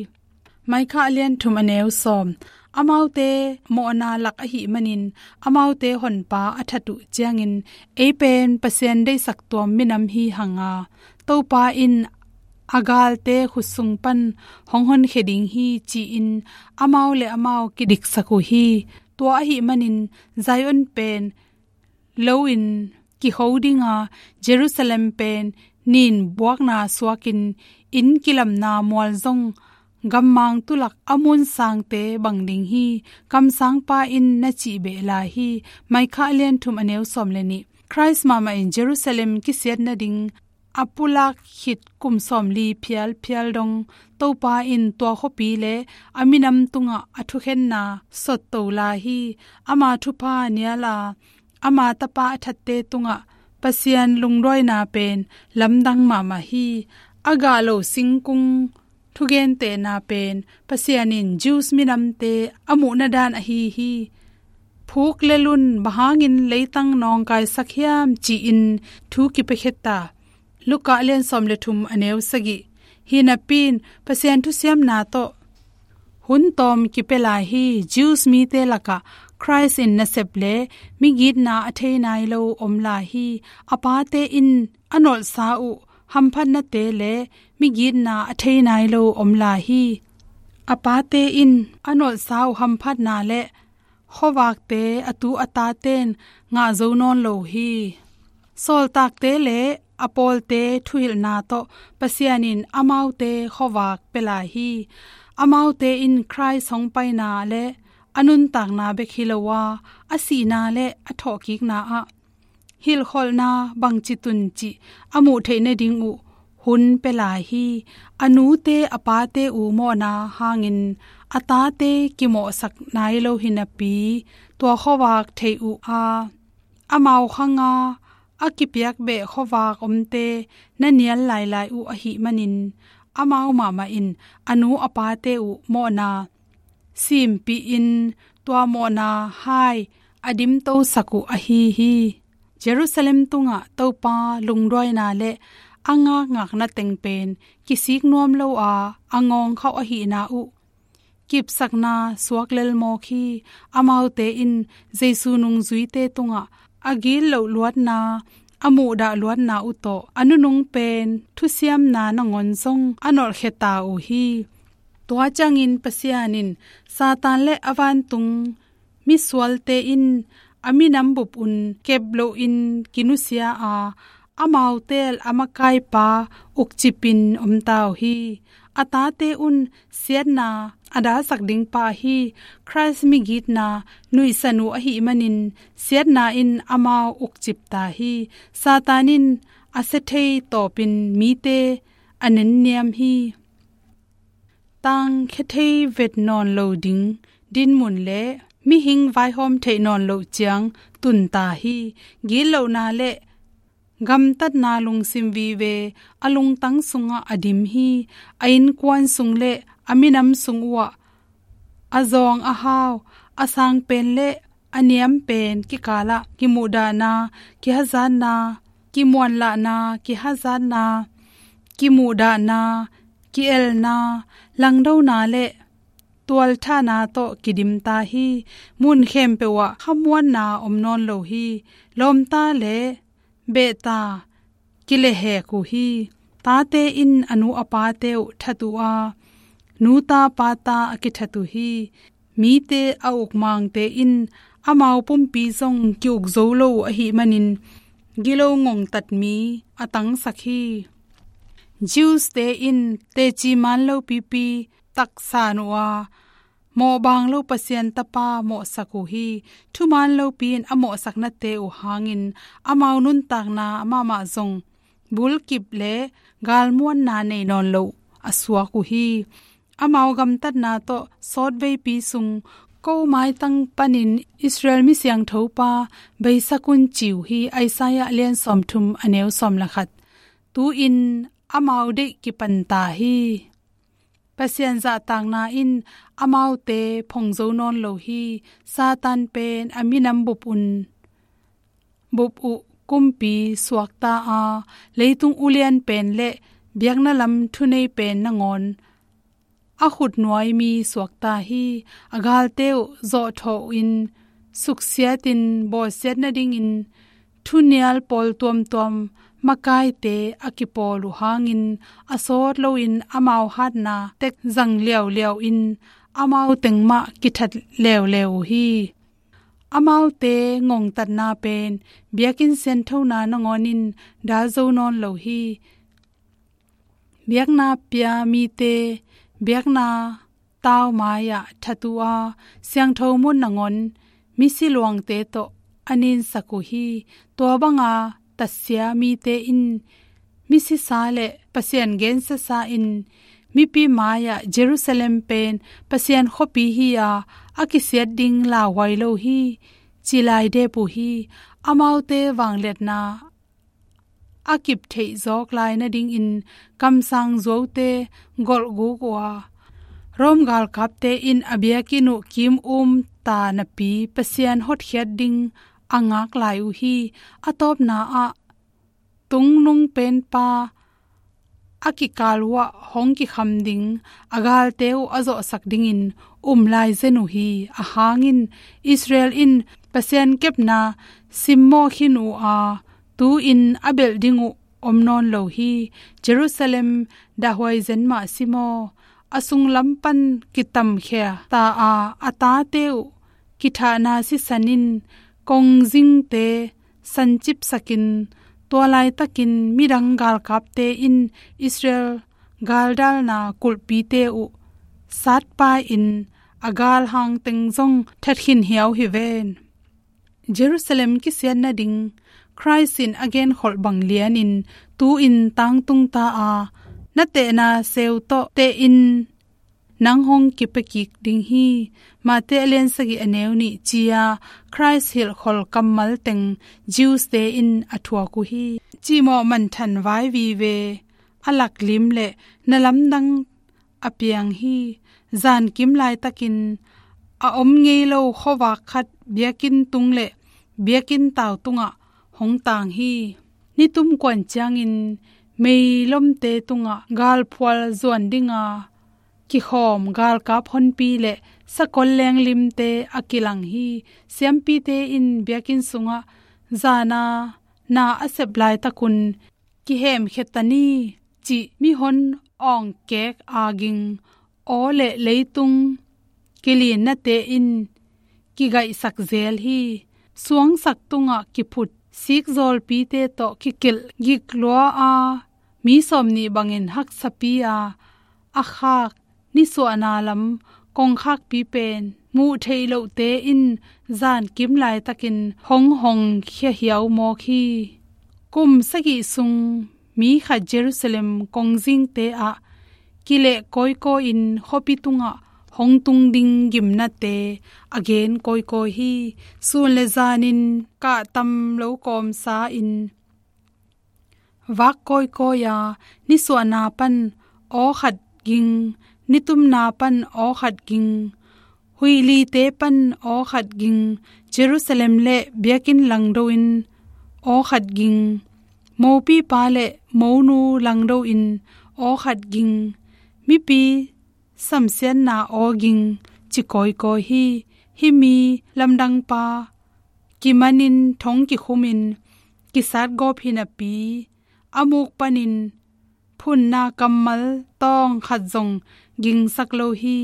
Micah a lian thum, a neu sawm. Amaute mawhna lak ahih manin amaute honpa a that uh ciangin ei pen Pasian deihsak tuam minam hi hanga, Topa in a galte khut sung pan hong honkhia ding hi ci-in amau le amau kidiksak uh hi. Tua ahih manin Zion pen lo in kiho dinga, Jerusalem pen nin buakna suakin inn kilamna mual zong gammang tulak a mun sangte bang ding hi. Kamsangpa in na cih beh lai hi. Micah a lian thum, a neu sawm le nih. Christ mahmah in Jerusalem kisiat nading a pulak khit kum sawmli phialphial dong Topa in tua khuapi le a minam tungah a thukhenna sotto lai hi. Ama thupha nial a, ama tapa a thatte tungah Pasian lungduaina pen lamdang mahmah hi. A gah lo singkung thugentehna pen Pasian in Jews minamte a muhna dan ahi hi. Phuk le lun bang hangin leitang nawngkaisak hiam ci-in thu kipiakhia ta. Luka a lian sawm le thum, a neu sagih. Hi napi in Pasian thusiamna tawh hun tawm kipia lai hi. Jews mite lakah Christ in nasep le migitna a thei nai lo om lai hi. A pate in a nolhsa uh hamphatnate le migitna a thei nai lo om lai hi. A pate in a nolhsa uh hamphatna le khuavakte a tu a taten ngah zo nawn lo hi. Sawltakte le a pawlte thuhilhna tawh Pasian in amaute khuavak pia lai hi. Amaute in Christ hong paina le a nuntakna bek hi lo a, a sihna le a thawhkikna ah hilhkholhna bangci tun cih a muh theih nading uh hun pia lai hi. A nute a pate uh mawhna hangin a tate kimawhsak nai lo hi napi, tua khuavak theih uh a, amau khanga a kipiak beh khuavak omte na nial lailai uh ahih manin amau mahmah in a nu a pate uh mawhna siimpihin tua mawhna hai a dimtosak uh ahi hi. Jerusalem tungah Topa lungduaina le a ngakngakna teng pen kisik nuam lo a, a ngawngkhauh ahihna uh kipsakna suak lelmawk hi. Amaute in Jesu nungzuite tungah a gitloh luatna, a muhdah luatna uh tawh a nunung pen thusiamna nangawn zong a nolhkhia ta uh hi. Tua ciangin Pasian in Satan le a vantung misualte in a minam bup un kep loin kinusia a, amau teel a makaipa ukcipin om ta uh hi. A tate un siatna a dalsak dingpa ahi Khrist migitna nuihsan uh ahih manin siatna in amau ukcip ta hi. Satan in a sia thei tawpin mite a nenniam hi. Tangkhia thei vet nawn lo ding dinmun le mihing vaihawm theih nawn loh ciang tun ta hi. Gitlohna le gamtatna lungsim vive a lungtang sungah a dim hi. A innkuan sung le a minam sung uhah a zawng a hau, a sang pen le a niam pen kikalah kimuhdahna, kihazatna, kimuanlahna, kihazatna, kimuhdahna, ki-elna, langdona le tualthahna tawh kidim ta hi. Mun khempeuh ah khamuanna om nawn lo hi. Lawmta le behta kilehhek uh hi. Tate in a nu a pate uh that uh a, nu ta pa ta a kithat uh hi. Mite a ukmangte in amau pumpi zong ki-uk zo lo uh ahih manin gilo ngongtat mi a tangsak hi. Jews-te in teci man lopipi taksan uh a, mawhbang lo Pasian Tapa mawhsak uh hi. Thuman lopi in a mawhsaknate uh hangin amau nuntakna mahmah zong bulkip le galmuanna nei nawn loh a suak uh hi. Amau gamtatna tawh sawtveipi sung ko maitang panin Israel mi siangthopa beisak un ci uh hi. Isaiah lian sawmthum a neu sawm le khat. Tu-in amau deih kipan ta hi. Pasian zahtakna in amaute phong zo nawn lo hi. Satan pen a minam bup un, bup uh kumpi suakta a, leitung ulian pen le biakna lam thunei pen nangawn a khutnuai mi suakta hi. A galte uh zawhthawh in suksiatin bawlsiat nadingin thunial pawl tuamtuam makaite a kipawl uh hangin a sawt loin amau hatna tek zang liauliau in amau teng mah kithat leuleu uh hi. Amaute ngongtatna pen biakinn sianthona nangawnin dal zo nawn lo hi. Biakna pia mite biakna tau mai-ah that uh a, siangtho mun nangawn misi luangte tawh a ninsak uh hi. Tua banga tatsia mite in misisa le Pasian gensiasa in mipi mai-ah Jerusalem pen Pasian khuapi hi-a, a kisiat ding lauhuai lo hi, ci lai dep uh hi. Amaute vangliatna a kip theih zawk lai nadingin kamsang zuaute golhguk uh a, Rom galkapte in a biakinn uh kim um ta napi Pasian hotkhiat ding a ngak lai uh hi. A tawpna ah tungnung penpa a kikal uhah hong kikham ding a galte uh a zawhsak dingin um lai zen uh hi. A hangin Israel in Pasian kepna simmawh khin uh a, tu-in a belh ding uh om nawn lo hi. Jerusalem dahhuai zen mah simaw, a sunglam pan kitamkhia ta a, a tate uh kithahna sisan in kongzingte sancipsakin, tua laitakin midang galkapte in Israel galdalna kulhpite uh satpa-in a galhang teng zong thatkhin hiau hi ven. Jerusalem kisiat nading Khrist in a genkholh bang lianin tu-in tangtung ta a, na tehna seu tawh tehin nang hong kipia kik ding hi. Mate a lian sagih a neu nih ci-a Khrist hilhkhol kammal teng Jews-te in a thuak uh hi. Cihmawh manthan vai vive a laklim le na lamdang a piang hi. Zankim laitakin a om ngei lo khuavak khat biakinn tung le biakinn tau tungah hong tang hi. Nitum kuan ciangin meilomte tungah galphual zuan dinga kikhawm galkap honpi le sakol lenglimte a kilang hi. Siampite in biakinn sungah zana na a sep laitakun kihemkhia ta ni cih mihon awngkek a ging aw le leitung kilinnate in kigaihsak zel hi. Suangsak tungah kiphut sikzawlpite tawh kikilh giklua a, mi sawmnih bangin haksapi a, a khak nisuahna lam kongkhakpi pen muh theih lohte in zankim laitakin hong hongkhia hiau mawk hi. Kum sagih sung mi khat Jerusalem kongzingte ah kileh kawikawi-in khuapi tungah hong tung ding gimnate a gen kawikawi hi. Sun le zanin kahtam lo kawmsa-in vak kawikawi a, nisuahna pan aw khat ging, nitumna pan aw khat ging, huihlite pan aw khat ging, Jerusalem le biakinn langdo in aw khat ging, mopipa le monu langdo in aw khat ging, mipi samsiatna aw ging, ci kawikawi hi. Hih mi lamdangpa kimanin thong kikhumin kisat gawp hi napi, a muk panin phunna kammal tawng khat zong gingsak lo hi.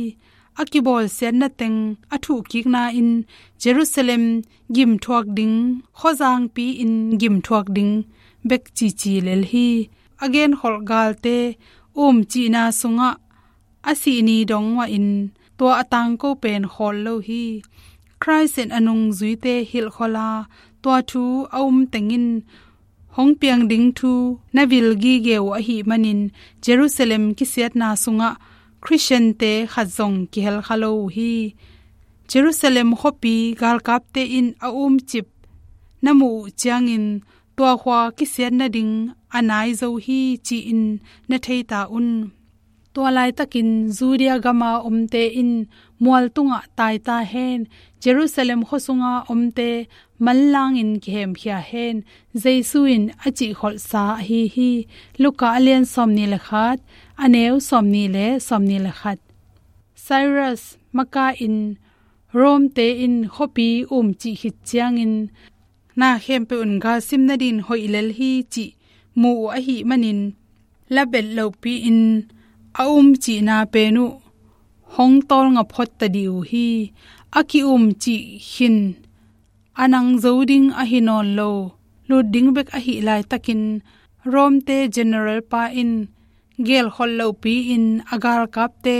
A kibawlsiatna teng a thuhkikna in Jerusalem gimthuak ding, khuazangpi in gimthuak ding bek cici lel hi. A genkholh galte umcihna sungah a sih ni dong mahin tua a tangko pen khawl lo hi. Khrist in a nungzuite hilhkholh a, tua thu a um tengin hong piang ding thu na vil gige uh ahih manin Jerusalem kisiatna sungah Khristiante khat zong kihel kha lo uh hi. Jerusalem khuapi galkapte in a umcip na muh uh ciangin tua khua kisiat nading a nai zo hi ci-in na thei ta un. Tua laitakin Judea gama omte in mual tungah tai ta hen, Jerusalem khuasunga omte manlangin kihemkhia hen, Jesu in a cihkholhsa ahi hi. Luka a lian sawmnih le khat, a neu sawmnih le sawmnih le khat. Cyrus maka in Rome-te in khuapi umcih khit ciangin na khempeuh in galsim nadin hoih lel hi cih mu uh ahih manin, labelh lopi-in a umcihna pen uh hong tawlnga phot ta dih uh hi. A ki-umcih khin a nang zo ding ahi nawn lo, lut ding bek ahih laitakin Rome-te general pa in gelkholh lopi-in a galkapte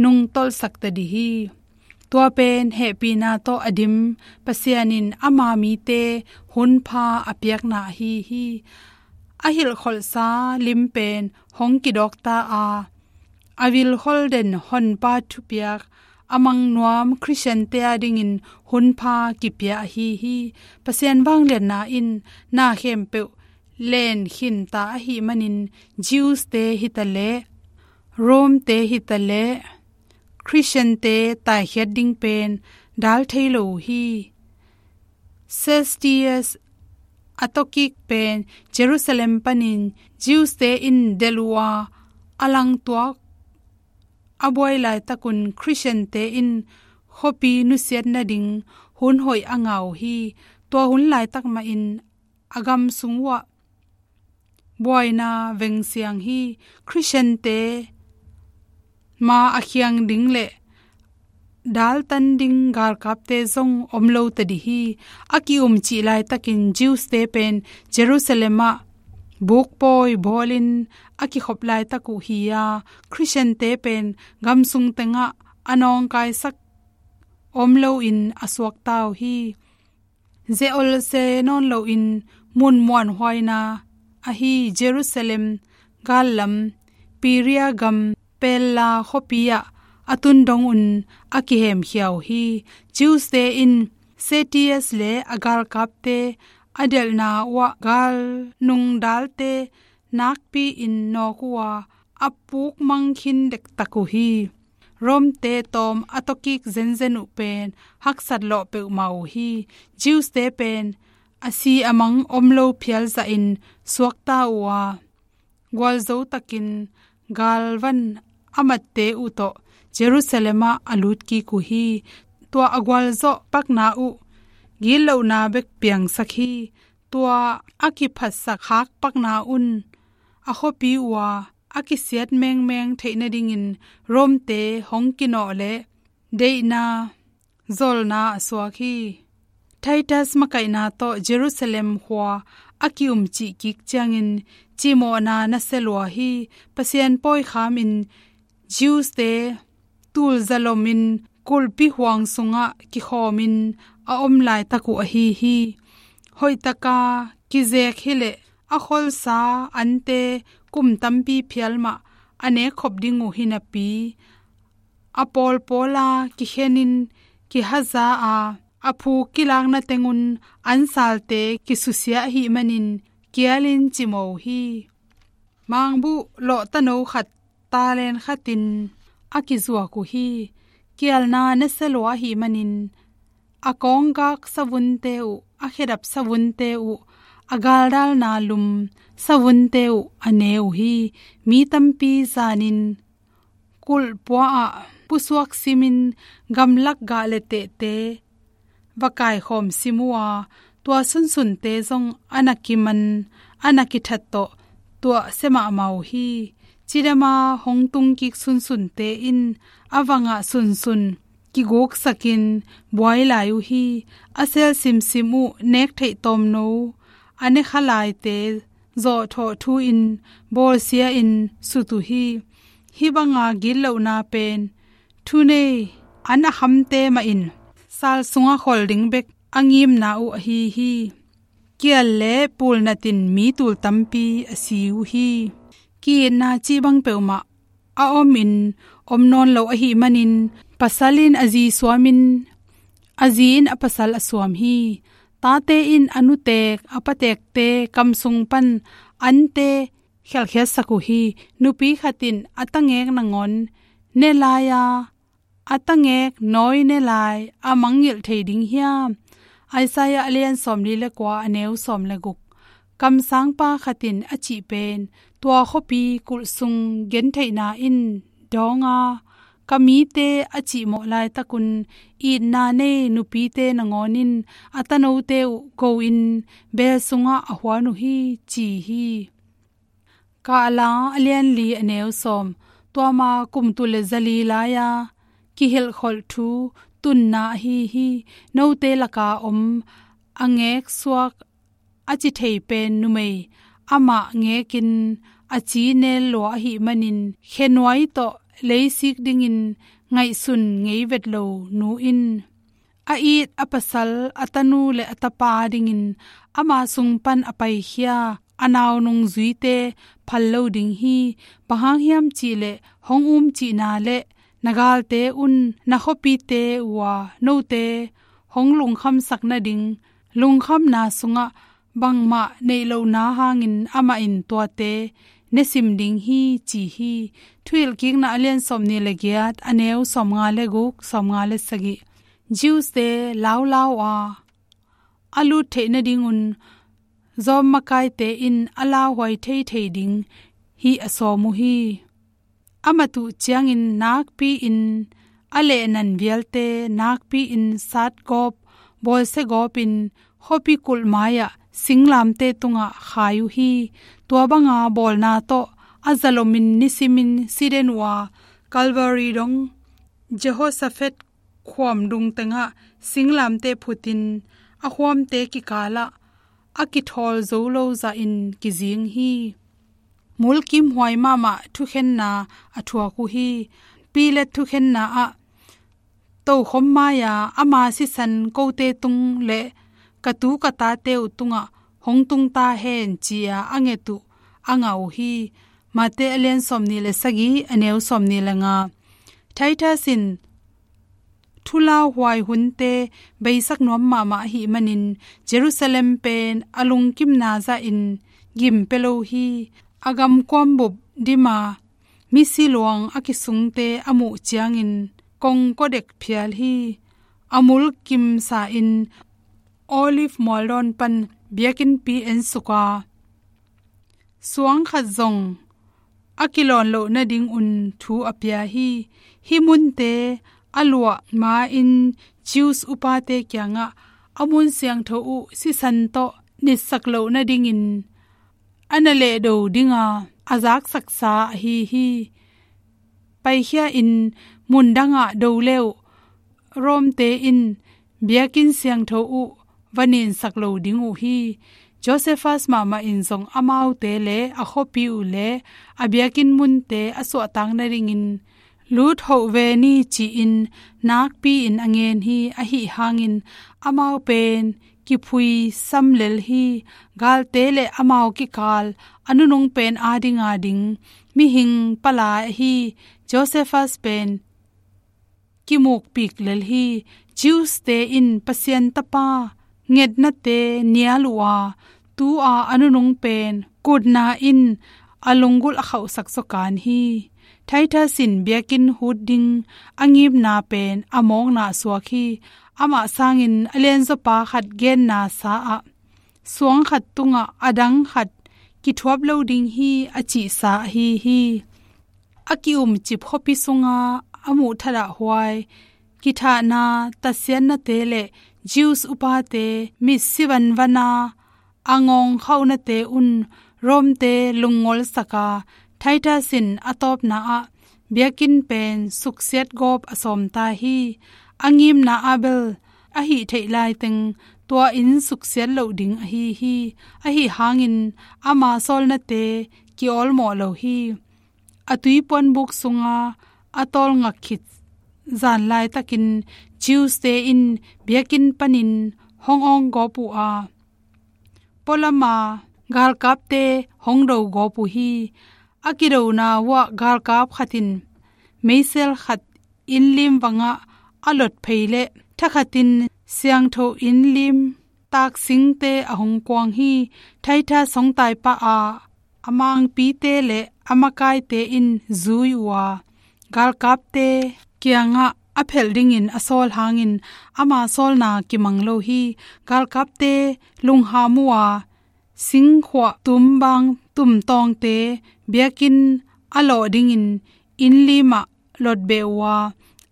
nungtolhsak ta dih hi. Tua pen hehpihna tawh a dim Pasian in ama mite hunpha a piakna ahi hi. A hilhkholhsa lim pen hong kidawk ta a, a vilkhol den Honpa thupiak a mang nuam Khristiante adingin hunpha kipia ahi hi. Pasian vangliatna in na khempeuh len khinta ahih manin Jews-te hitaleh, Rome-te hitaleh, Khristiante taikhiat ding pen dal thei lo uh hi. Cestius a tawkik pen Jerusalem panin Jews-te in delh uh a, a langtuak a buai laitakun Khristiante in khuapi nusiat nading hun hoih a ngah uh hi. Tua hun laitak mahin a gam sung uhah buaina vengsiang hi. Khristiante ma a khiang ding le daltan ding galkapte zong om lo ta dih hi. A ki-umcih laitakin Jews-te pen Jerusalem ah bukpawi bawlin a kikhop laitak uh hi a, Khristiante pen gam sung tengah a nawngkaisak om loin a suakta uh hi. Zeol se nawn loin mun muanhuaina ahi Jerusalem gallam, Perea gam Pella khuapi ah a tun dong un a kihemkhia uh hi. Jews-te in Cestius le a galkapte a delhna uhah galnung dalte nakpi-in nawk uh a, a pukmang khin dektak uh hi. Rome-te tawm a tawkik zenzen uh pen haksat lawh peuhmah uh hi. Jews-te pen a si a mang om lo phial zahin suakta uh a, gualzo takin galvan a matte uh tawh Jerusalem ah a lutkik uh hi. Tua a gualzawh pakna uh gitlohna bek piangsak hi. Tua a kiphatsak khak pakna un a khuapi uh a, a kisiat mengmeng theih nadingin Rome-te hong kinawh leh deihna zolna a suak hi. Titus makaihna tawh Jerusalem khua a ki-umcih kik ciangin cimawhna nasia lua hi. Pasian pawi khamin Jews-te tul zalomin kulhpi huang sungah kikhawmin a om laitak uh ahi hi. Hoihtaka kizek hileh a kholsa ante kum tampi phial mah a nekkhop ding uh hi napi, a pawlpawla kikhenin kihaza a, a phu kilakna tengun ansalte kisusia ahih manin kialin cimaw uh hi. Mangbuh lawhtano khat talent khatin a kizuak uh hi. Kialna nasia lua ahih manin a kawnggak savunte uh, a khedap savunte uh, a galdalna lum savunte uh a ne uh hi. Mi tampi zanin kulhpua ah pusuak simin gamlak gah le tehte va kaikhawm sim uh a, Tua sunsunte zong a na kiman, a na kithat tawh tuahsia mahmah uh hi. Cidama hong tungkik sunsunte in a vangah sunsun kiguksakin buai lai uh hi. A sel simsim uh nek theih tawmno a ne kha laite zawhthawh thu-in bawlsia-in sut uh hi. Hih banga gitlohna pen thunei an a khamte mahin sal sungah khol ding bek a ngimna uh ahi hi. Kial le pulnatin mi tul tampi a si uh hi. Ki-itna cih bang peuhmah a omin om nawn lo ahih manin, pasal in a zi suamin, a zi in a pasal a suam hi. Tate in a nutek, a patekte kam sung pan ante khelkhiatsak uh hi. Nupi khat in a tangek nangawn ne lai-a, a tangek nawi ne lai a mangngilh thei ding hiam? Isaiah a lian sawmli le kua, a neu sawm le guk. Kamsangpa khat in a cih pen tua khuapi kulh sung gentheihna in dawng a, ka mite a cihmawh laitakun itna nei nupite nangawn in a tanote uh go-in beel sungah a huan uh hi, ci hi. Kahla a lian li, a neu sawm. Tua ma kum tul le zali lai-a kihilhkholh thu tunna ahi hi. Note laka om a ngeksuak a ci thei pen numei amah ngekin a ci nel lua ahih manin, khenuai tawh leisik dingin ngaihsun ngei vet lo nu in a it a pasal, a tanu le a tapa dingin ama sung pan a paikhia a nau nungzuite phal lo ding hi. Bang hang hiam cihleh, hong um cihna le na galte un na khuapite uh a note hong lungkhamsak nading, lungkhamna sungah bangmah neih lohna hangin amah in tuate ne sim ding hi, ci hi. Thuhilhkikna a lian sawmnih le giat, a neu sawmnga le guk, sawmnga le sagih. Jews-te laulau a a lut theih nadingun Rom makaite in a lauhuai theithei ding hi a sawm uh hi. A mat uh ciangin nakpi-in a lehnan vialte, nakpi-in satgawp, bawlsiagawpin khuapi kulh mai-ah singlamteh tungah khai uh hi. Tua banga bawlna tawh a zalomin nisimin si den uh a, Calvary dong Jehoshaphat khuam dung tengah singlamteh phutin a khuamte kikalah a kithawl zo lo zahin kizing hi. Mulkimhuai mahmah thukhenna a thuak uh hi. Pilat thukhenna ah tokhom mai-a ama sisan kote tung le ka tu ka tate uh tungah hong tung ta hen, ci-a a nget uh a ngah uh hi. Mate a lian sawmnih le sagih, a neu sawmnih le nga. Titus in thulauhuai hunte beisak nuam mahmah ahih manin Jerusalem pen a lungkimna zahin gim pia lo hi. A gamkuam bup dima misi luang a kisungte a muh ciangin kongkaw dek phial hi. A mulkimsa-in Olive mualdawn pan biakinnpi ensuk a, suang khat zong a kilawn loh nadingun thu a pia hi. Hih munte a luah ma-in Jews upate kiangah a mun siangtho uh sisan tawh nitsak loh nadingin a na lehdo dinga a zaksaksa ahi hi. Paikhia-in mun dangah do le uh, Rome-te in biakinn siangtho uh va ninsak lo ding uh hi. Josephus mahmah in zong amaute le a khuapi uh le a biakinn munte a suahtak nadingin lut hoh ve ni, ci-in nakpi-in a ngen hi. Ahi hangin amau pen kiphuisam lel hi. Galte le amau kikal a nunung pen adinga ding mihing palai ahi Josephus pen kimukpik lel hi. Jews-te in Pasian Tapa ngetnate nial uh a, tu-a a nunung pen kutna in a lunggulh a khauhsak zaw kan hi. Titus in biakinn hut ding a ngimna pen a mawkna a suak hi. Amah sangin a lianzawpa khat genna sa-ah suang khat tungah a dang khat kithuap lo ding hi, a cihsa ahi hi. A ki-umcip khuapi sunga a muhthadah huai kithahna, tatsiatnate le Jews upate mitsi vanvana a ngawngkhaunate un Rome-te lungngolsaka, Titus in a tawpna ah biakinn pen suksiat gawp a sawmta hi. A ngimna ah bel a hih theih laiteng tua inn suksiat loh ding ahi hi. Ahi hangin ama sawlnate kiawlmawh lo hi. A tuipuanbuk sunga a tawlngak khit zan laitakin Jews-te in biakinn panin hong awng gawp uh a, pualama galkapte hong do gawp uh hi. A kidona uah galkap khat in meisel khat innlim vangah a lot phei leh thakhatin siangtho innlim taksingte a hong kuang hi. Titus hong taipah a, a mangpite le a makaite in zui uh a, galkapte kiangah a phelh dingin a sawl hangin ama sawlna kimang lo hi. Galkapte lungham uh a, singkhuah tumbang tumtawngte biakinn a lawh dingin innlimah lotbeh uh a,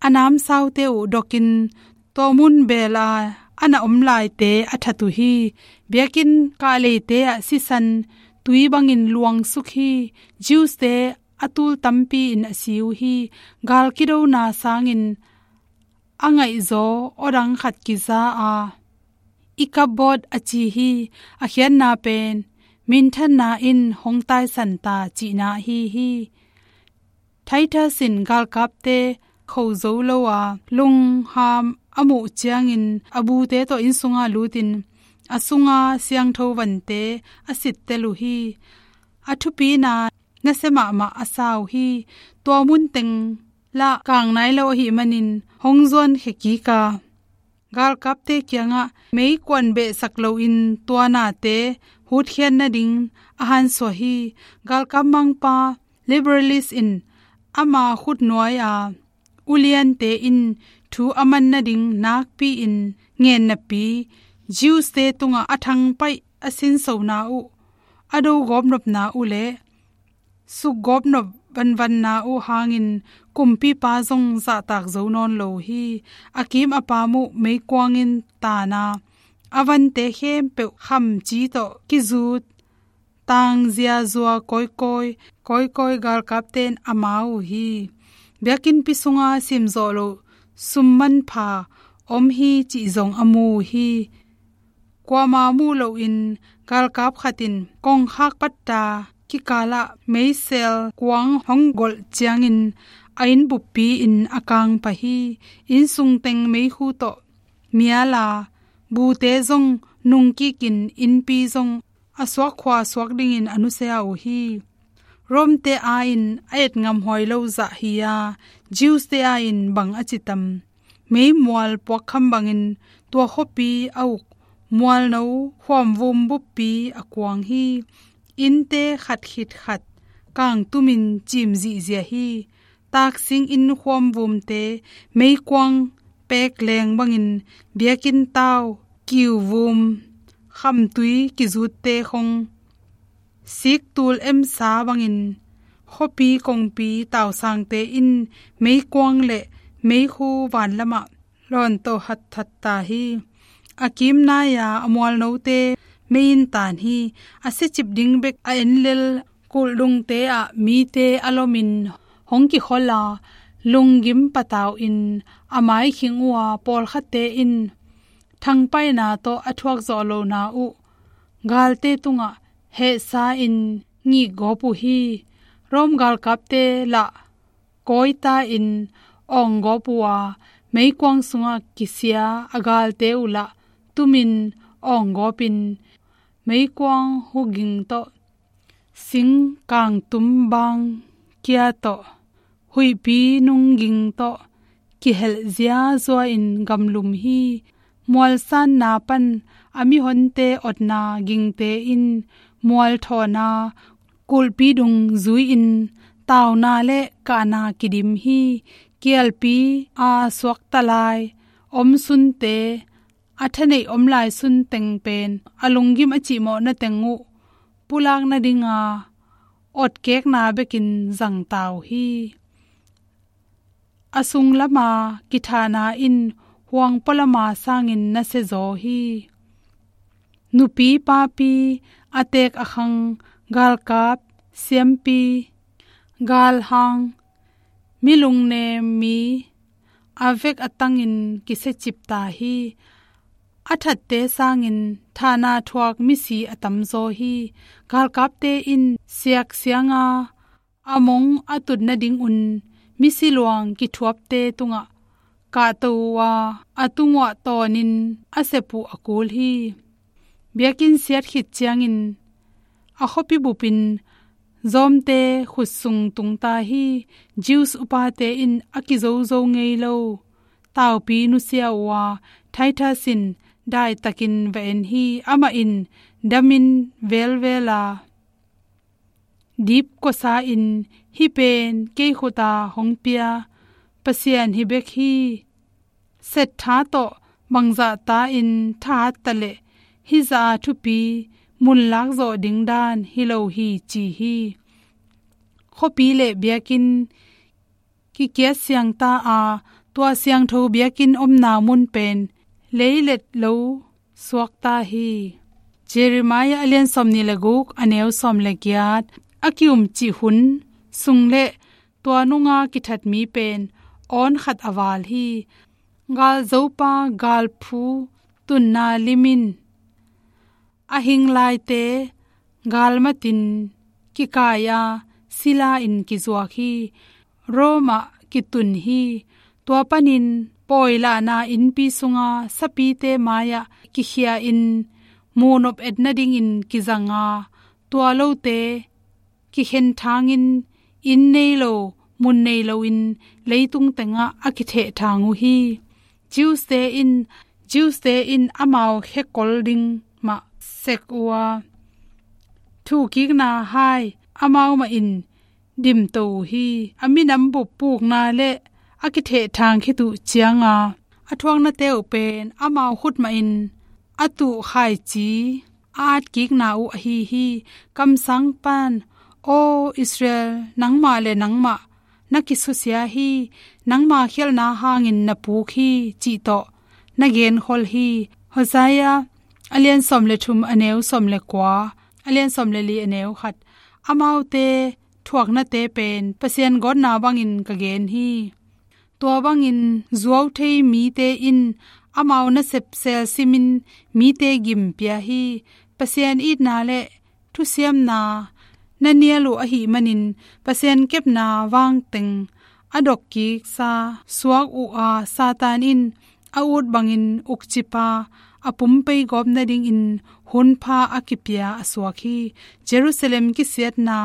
a namsaute uh dokin tua mun bela a na om laite a that uh hi. Biakinn kahleite ah sisan tui bangin luangsuk hi. Jews-te a tul tampi in a si uh hi. Gal kidona sangin a ngaihzaw awdang khat kiza a, Ichabod a ci hi. A khiatna pen minthanna in hong taisan ta cihna ahi hi. Titus in galkapte kho zo lo a, lungham a muh ciangin a bute tawh inn sunga lutin a sunga siangtho vante a sittel uh hi. A thupina nasia mahmah a sa uh hi. Tua mun teng lah kang nai lo ahih manin hong zuankhia kik a, galkapte kiangah meikuan behsak loin tua nate hutkhiat nading a hansuah hi. Galkap mangpa Liberalist in ama khutnuai a uliante in thu a man nading nakpi-in ngen napi, Jews-te tungah a thangpaih a sinsona uh, a do gawpnopna uh le sukgawpnop vanvanna uh hangin kumpipa zong zahtak zo nawn lo hi. A kim a pam uh meikuang in tana, a vante khempeuh khamci tawh kizut tangziazua kawikawi, kawikawi galkapte in a ma uh hi. Biakinnpi sunga simzawh loh sum manpha om hi cih zong a mu uh hi. Kuama muh lohin galkap khat in kongkhak patta kikalah meisel kuang hong golh ciangin a inn buppi in a kang pah hi. Innsung teng meikhu tawh mial a, bute zong nungkikin innpi zong a suakkhua suak dingin a nusia uh hi. Rome-te a-in a etngamhuai lo zah hi a, Jews-te a-in bang a ci tam? Meimual puakkham bangin tua khuapi a uk mualno khuamvum buppi a kuang hi. Innte khat khit khat kangtumin cim zihziah hi. Taksing inn khuamvumte meikuang pek leng bangin biakinn tau, kiuvum, khamtui kizutte khong siktul emsa bangin khuapi kongpi tausangte in meikuang le meikhu vanlamah lawnto hatthat ta hi. A kimnai-a a mualnote mei in taan hi. A siacip ding bek a enlel kulhdungte ah mite a lomin hong kikhol a, lunggim patau in a maikhing uh a, pawlkhatte in thangpaihna tawh a thuakzawh lohna uh galte tungah hehsa-in ngikgawp uh hi. Rome galkapte lah kawita-in awnggawp uh a, meikuang sungah kisia a galte uh lah tumin awnggawpin meikuang huging tawh, sing kangtum bang kia tawh, huihpi nungging tawh kihelh ziazua-in gamlum hi. Mualsanna pan a mihonte otna gingte in mualthawna kulhpi dung zui-in tauna le kahna kidim hi. Kialpi a suakta lai omsunte, a thaneih om lai sunteng pen a lunggim a cihmawhna teng uh pulak nadinga otkekna bekin zangta uh hi. A sunglama kithahna in puang pualama sangin nasia zaw hi. Nupi, papi, a teek a khang, galkap, siampi, galhang, mi lungnem mi, a vek a tangin kisiacip ta hi. A thatte sangin thahna thuak misi a tamzaw hi. Galkapte in siaksianga a mong a tut nadingun misi luang kithuapte tungah kahto uh a, a tunguah tawnin a sep uh a kul hi. Biakinn siat khit ciangin a khuapi bupin zawmte khutsung tungta hi. Jews upate in a kizozo ngei lo taupi nusia uh a, Titus in daitakin va en hi. Amah in damin velvel a, dipkuasa in, "Hih pen kei khuta hong pia Pasian hi bek hi. Settha tawh bangzahta in thahat taleh hih zah a thupi mun lakzawh ding dan hi lo hi," ci hi. Khuapi le biakinn kikiat siangta a, tua siangtho biakinn omna mun pen leilet lo suakta hi. Jeremiah a lian sawmnih le guk, a neu sawm le giat, a kiumcih hun sung le tua nunga kithat mi pen awn khat a val hi. Galzopa galphu tunna limin a hing laite galmatin kikai a, sila in kizuak hi. Rome ah kitun hi. Tua panin pawilahna innpi sunga sapite mai-ah kikhia in, muhnop et nadingin kizang a, tua lote kikhen thangin, inn nei lo, mun nei loin leitung tengah a kithehthang uh hi. Jews-te in, Jews-te in amau khekol ding mah sek uh a, thuhkikna hai amau mahin dimto uh hi. A minam bup pukna le a kithehthang khit uh cianga a thuaknate uh pen amau khut mahin a tuh khaici a atkikna uh ahi hi. Kamsang pan, "Aw Israel, nangmah le nangmah na kisusia hi, nangma khialhna hangin na puk hi," cih tawh na genkhol hi. Hosea a lian sawm le thum, a neu sawm le kua, a lian sawm le li, a neu khat. Amaute thuaknate pen Pasian gawtna bangin ka gen hi. Tua bangin zuau thei mite in amau nasep sel simin mite gim pia hi. Pasian itna le thusiamna na nial uh ahih manin Pasian kepna vangteng a dokkiksa suak uh a, Satan in a ut bangin ukcip a, a pumpei gawp nadingin hunpha a kipia a suak hi. Jerusalem kisiatna,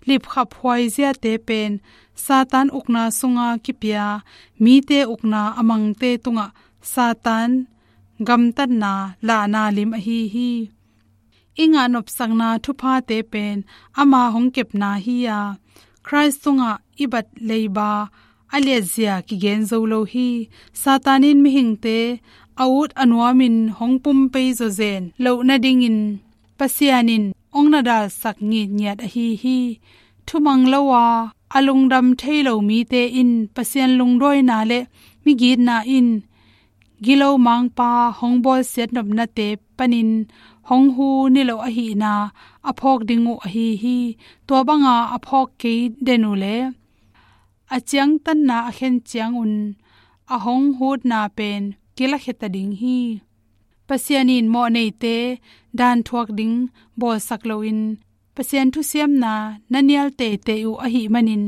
lipkhap huaiziate pen Satan ukna sunga kipia mite ukna a mangte tungah Satan gamtatna lahna lim ahi hi. I ngah nopsakna thuphate pen ama hong kepna hi a, Khrist tungah i bat leiba a liatzia kigen zo lo hi. Satan in mihingte a ut a nuamin hong pumpei zawzen loh nadingin Pasian in hong na dalsak ngitngiat ahi hi. Thumang lo a, a lungdam thei lo mite in Pasian lungduaina le migitna in gilo mangpa hong bawlsiat nopnate panin hong hu niloh ahihna a phawk ding uh ahi hi. Tua banga a phawk kei den uh le a ciangtanna a khen ciangun a hong hutna pen kilakhia ta ding hi. Pasian in mawhneite dan thuak ding bawlsak loin Pasian thusiamna na nial teitei uh ahih manin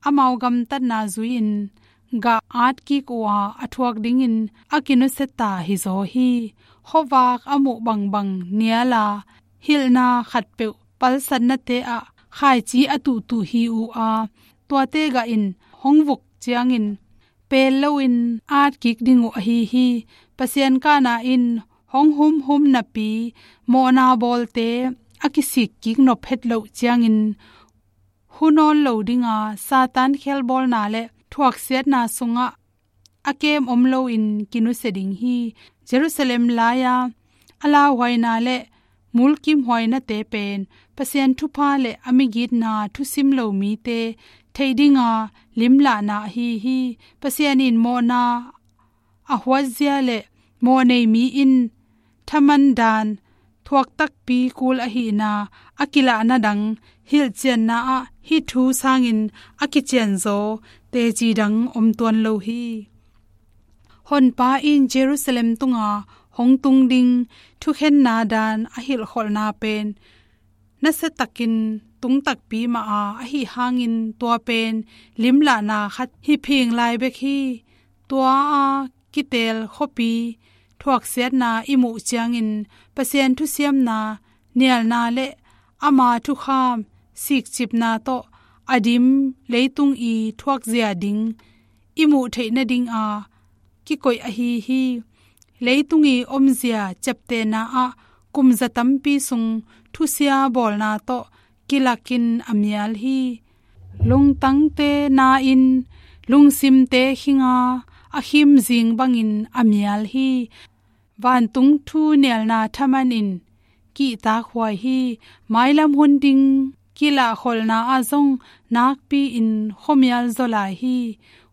amau gamtatna zui-in gah atkik uh a, a thuak dingin a kinusia ta hizaw hi. Khuavak a muh bangbang nial a, hilhna khatpeuh palsatnate ah khaici a tuhtuh hi uh a, tuate gah in hong vuk ciangin pel loin atkik ding uh ahi hi. Pasian kahna in hong humhum napi mawhna bawlte a kisikkik nop het loh ciangin hu nawn lo dinga, Satan khelbawlna le thuaksiatna sungah a kem om loin kinusia ding hi. Jerusalem lai-a a lauhuaina le mulkimhuainate pen Pasian thupha le a migitna thusim lo mite theih dinga limlahna ahi hi. Pasian in mawhna a huatzia le mawhnei mi in thaman dan thuak takpi kul ahihna a kilahna dang hilhcianna ah hih thu sangin a kicianzaw teci dang om tuan lo hi. Honpa in Jerusalem tunga hong tung ding thukhenna dan a hilhkholhna pen nasiatakin tung takpi mah a, ahi hangin tua pen limlahna khat hi phing lai bek hi. Tua a kitel khuapi thuaksiatna i muh ciangin Pasian thusiamna nialna le ama thukham sikcipna tawh a dim leitung i thuakzia ding i muh theih nadinga kikoih ahi hi. Leitung i omzia ciaptehna ah kumza tampi sung thusia bawlna tawh kilakin a mial hi. Lungtangte na in lungsimte khinga a khimzing bangin a mial hi. Vantung thu nialna thaman in kihtak huai hi. Mailam hun ding kilahkholhna ah zong nakpi in khuamial zaw lai hi.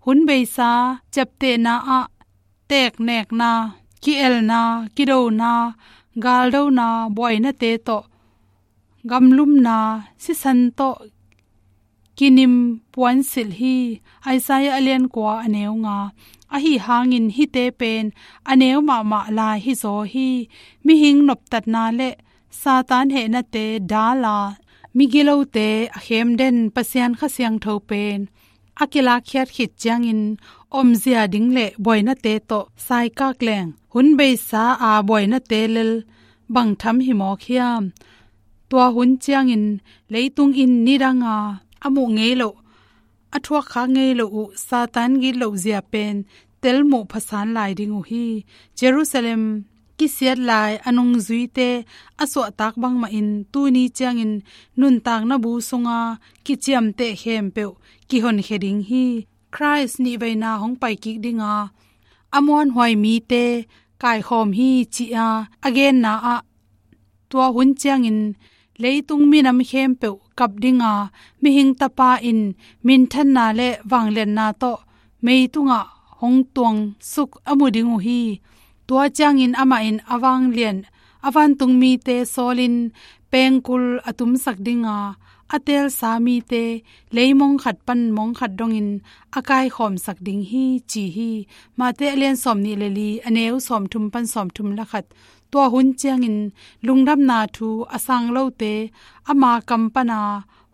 Hun beisa ciaptehna ah teknekna, ki-elna, kidona, galdona, buainate tawh gamlumna, sisan tawh kinim puansilh hi. Isaiah a lian kua a neu nga. Ahi hangin hihte pen a neu mahmah lai hizaw hi. Mihing noptatna le Satan hehnate dala, migilote a khem den Pasian Kha Siangtho pen a kilakkhiat khit ciangin omzia ding le buainate tawh saikak leng hun beisa a buainate lel bang tham hi mawk hiam? Tua hun ciangin leitung in nidanga a muh ngei loh, a thuakkhak ngei loh uh Satan gitlohzia pen telmuh phasan lai ding uh hi. Jerusalem kisiat lai a nungzuite a suahtak bangmahin tuni ciangin nuntakna bu sunga kiciamteh khempeuh kihonkhia ding hi. Christ nihveina hong paikik dinga a muanhuai mite kaikhawm hi, ci-a a genna ah tua hun ciangin leitung minam khempeuh kap dinga Mihing Tapa in minthanna le vangliatna tawh mei tungah hong tuangsuk a mu ding uh hi. Tua ciangin amah in a vanglian a vantung mite sawlin pengkul a tumsak dinga a teelsa mite leimong khat pan mong khat dongin a kaikhawmsak ding hi, ci hi. Mate a lian sawmnih le li a neu sawmthum pan sawmthum le khat. Tua hun ciangin lungdamna thu a sang lote ama kam pana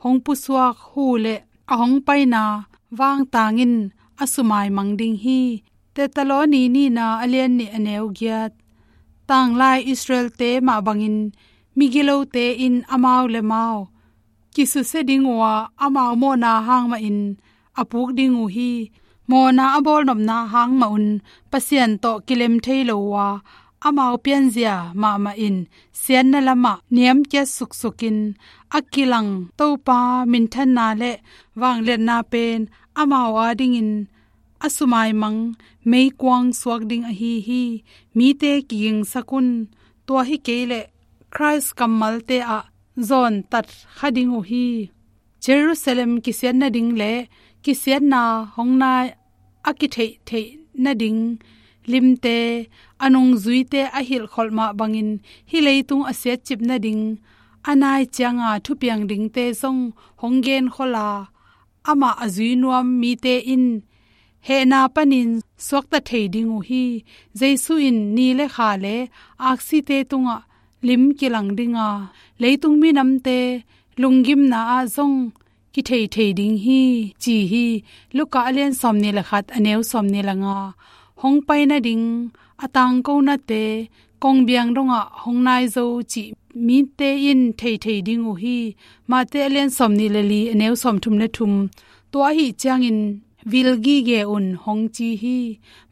hong pusuak hu le a hong paina vangtangin a sumaimang ding hi. Thessaloni nihna a lian nih a neu giat. Tanglai Israelte mah bangin migilote in amau le mau kisusia ding uh a, amau mawhna hang mahin a puk ding uh hi. Mawhna a bawlnopna hang mah un Pasian tawh kilem thei lo uh a, amau pianzia mahmah in siatna lamah niamkiat suksukin a kilang Topa minthanna le vangliatna pen amau adingin a sumaimang meikuang suak ding ahi hi. Mite kigingsak un, tua hi kei leh Christ kammalte ah zawntat kha ding uh hi. Jerusalem kisiat nading le kisiatna hong nai a kitheihtheih nading limte, a nungzuite a hilhkholh mah bangin hih leitung a siatcip nading a nai cianga thupiang dingte zong hong genkholh a, amah a zui nuam mite in hehna panin suakta thei ding uh hi. Jesu in ni le kha le aksite tungah lim kilang dinga, leitung minamte lunggimna ah zong kithei thei ding hi, ci hi. Luka a lian sawmnih le khat a neu sawmnih le nga. Hong pai nading a tangkonate kongbiang dongah hong nai zo cih mite in thei thei ding uh hi. Mate a lian sawmnih le li a neu sawmthum le thum. Tua ahi ciangin vil gige un hong ci hi.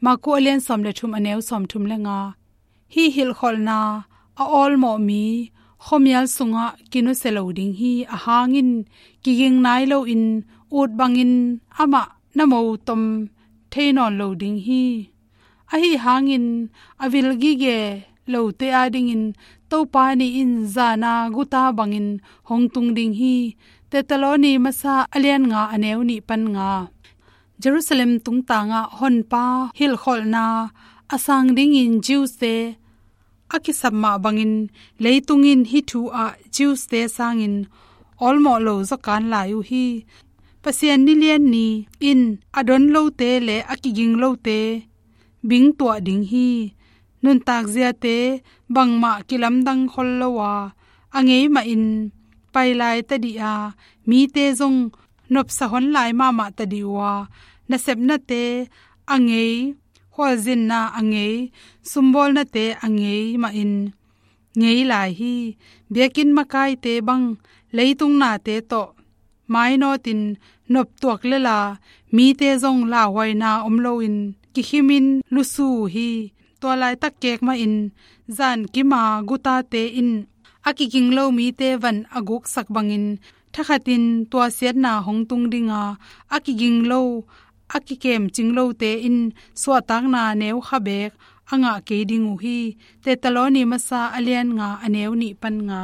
Maku a lian sawm le thum a neu sawmthum le nga. Hih hilhkholhna a awlmawh mi khuamial sungah kinusia lo ding hi. A hangin kiging nai loin ut bangin amah na motom thei nawn lo ding hi. Ahi hangin a vil gige lote adingin Topa ni in zana guta bangin hong tung ding hi. Thessaloni masa a lian nga a neu nih pan nga. Jerusalem tungtangah Honpa hilhkholhna A sang dingin Jews-te a kisap mah bangin leitung in hih thu ah Jews-te sangin awlmawh lo zaw kan lai uh hi. Pasian nilian ni in a don lote le a kiging lote bingtuah ding hi. Nuntak ziate bangmah kilamdang khol lo a, a ngei mahin pai lai tadih a, mite zong nopsa hon lai mahmah tadih uh a, nasepnate a ngei, khualzinna a ngei, sumbawlnate a ngei mahin ngei lai hi. Biakinn makaite bang leitung nate tawh mainawtin noptuak lela, mite zong lauhuaina om loin kikhimin lusu uh hi. Tua laitak kek mahin zankima gutate in a kiging lo mite van a guksak bangin thakhatin tua siatna hong tung dinga, a kiging lo, a kikemcing lote in suahtakna neukha beek a ngah kei ding uh hi. Tesaloni masa a lian nga a neu nih pan nga.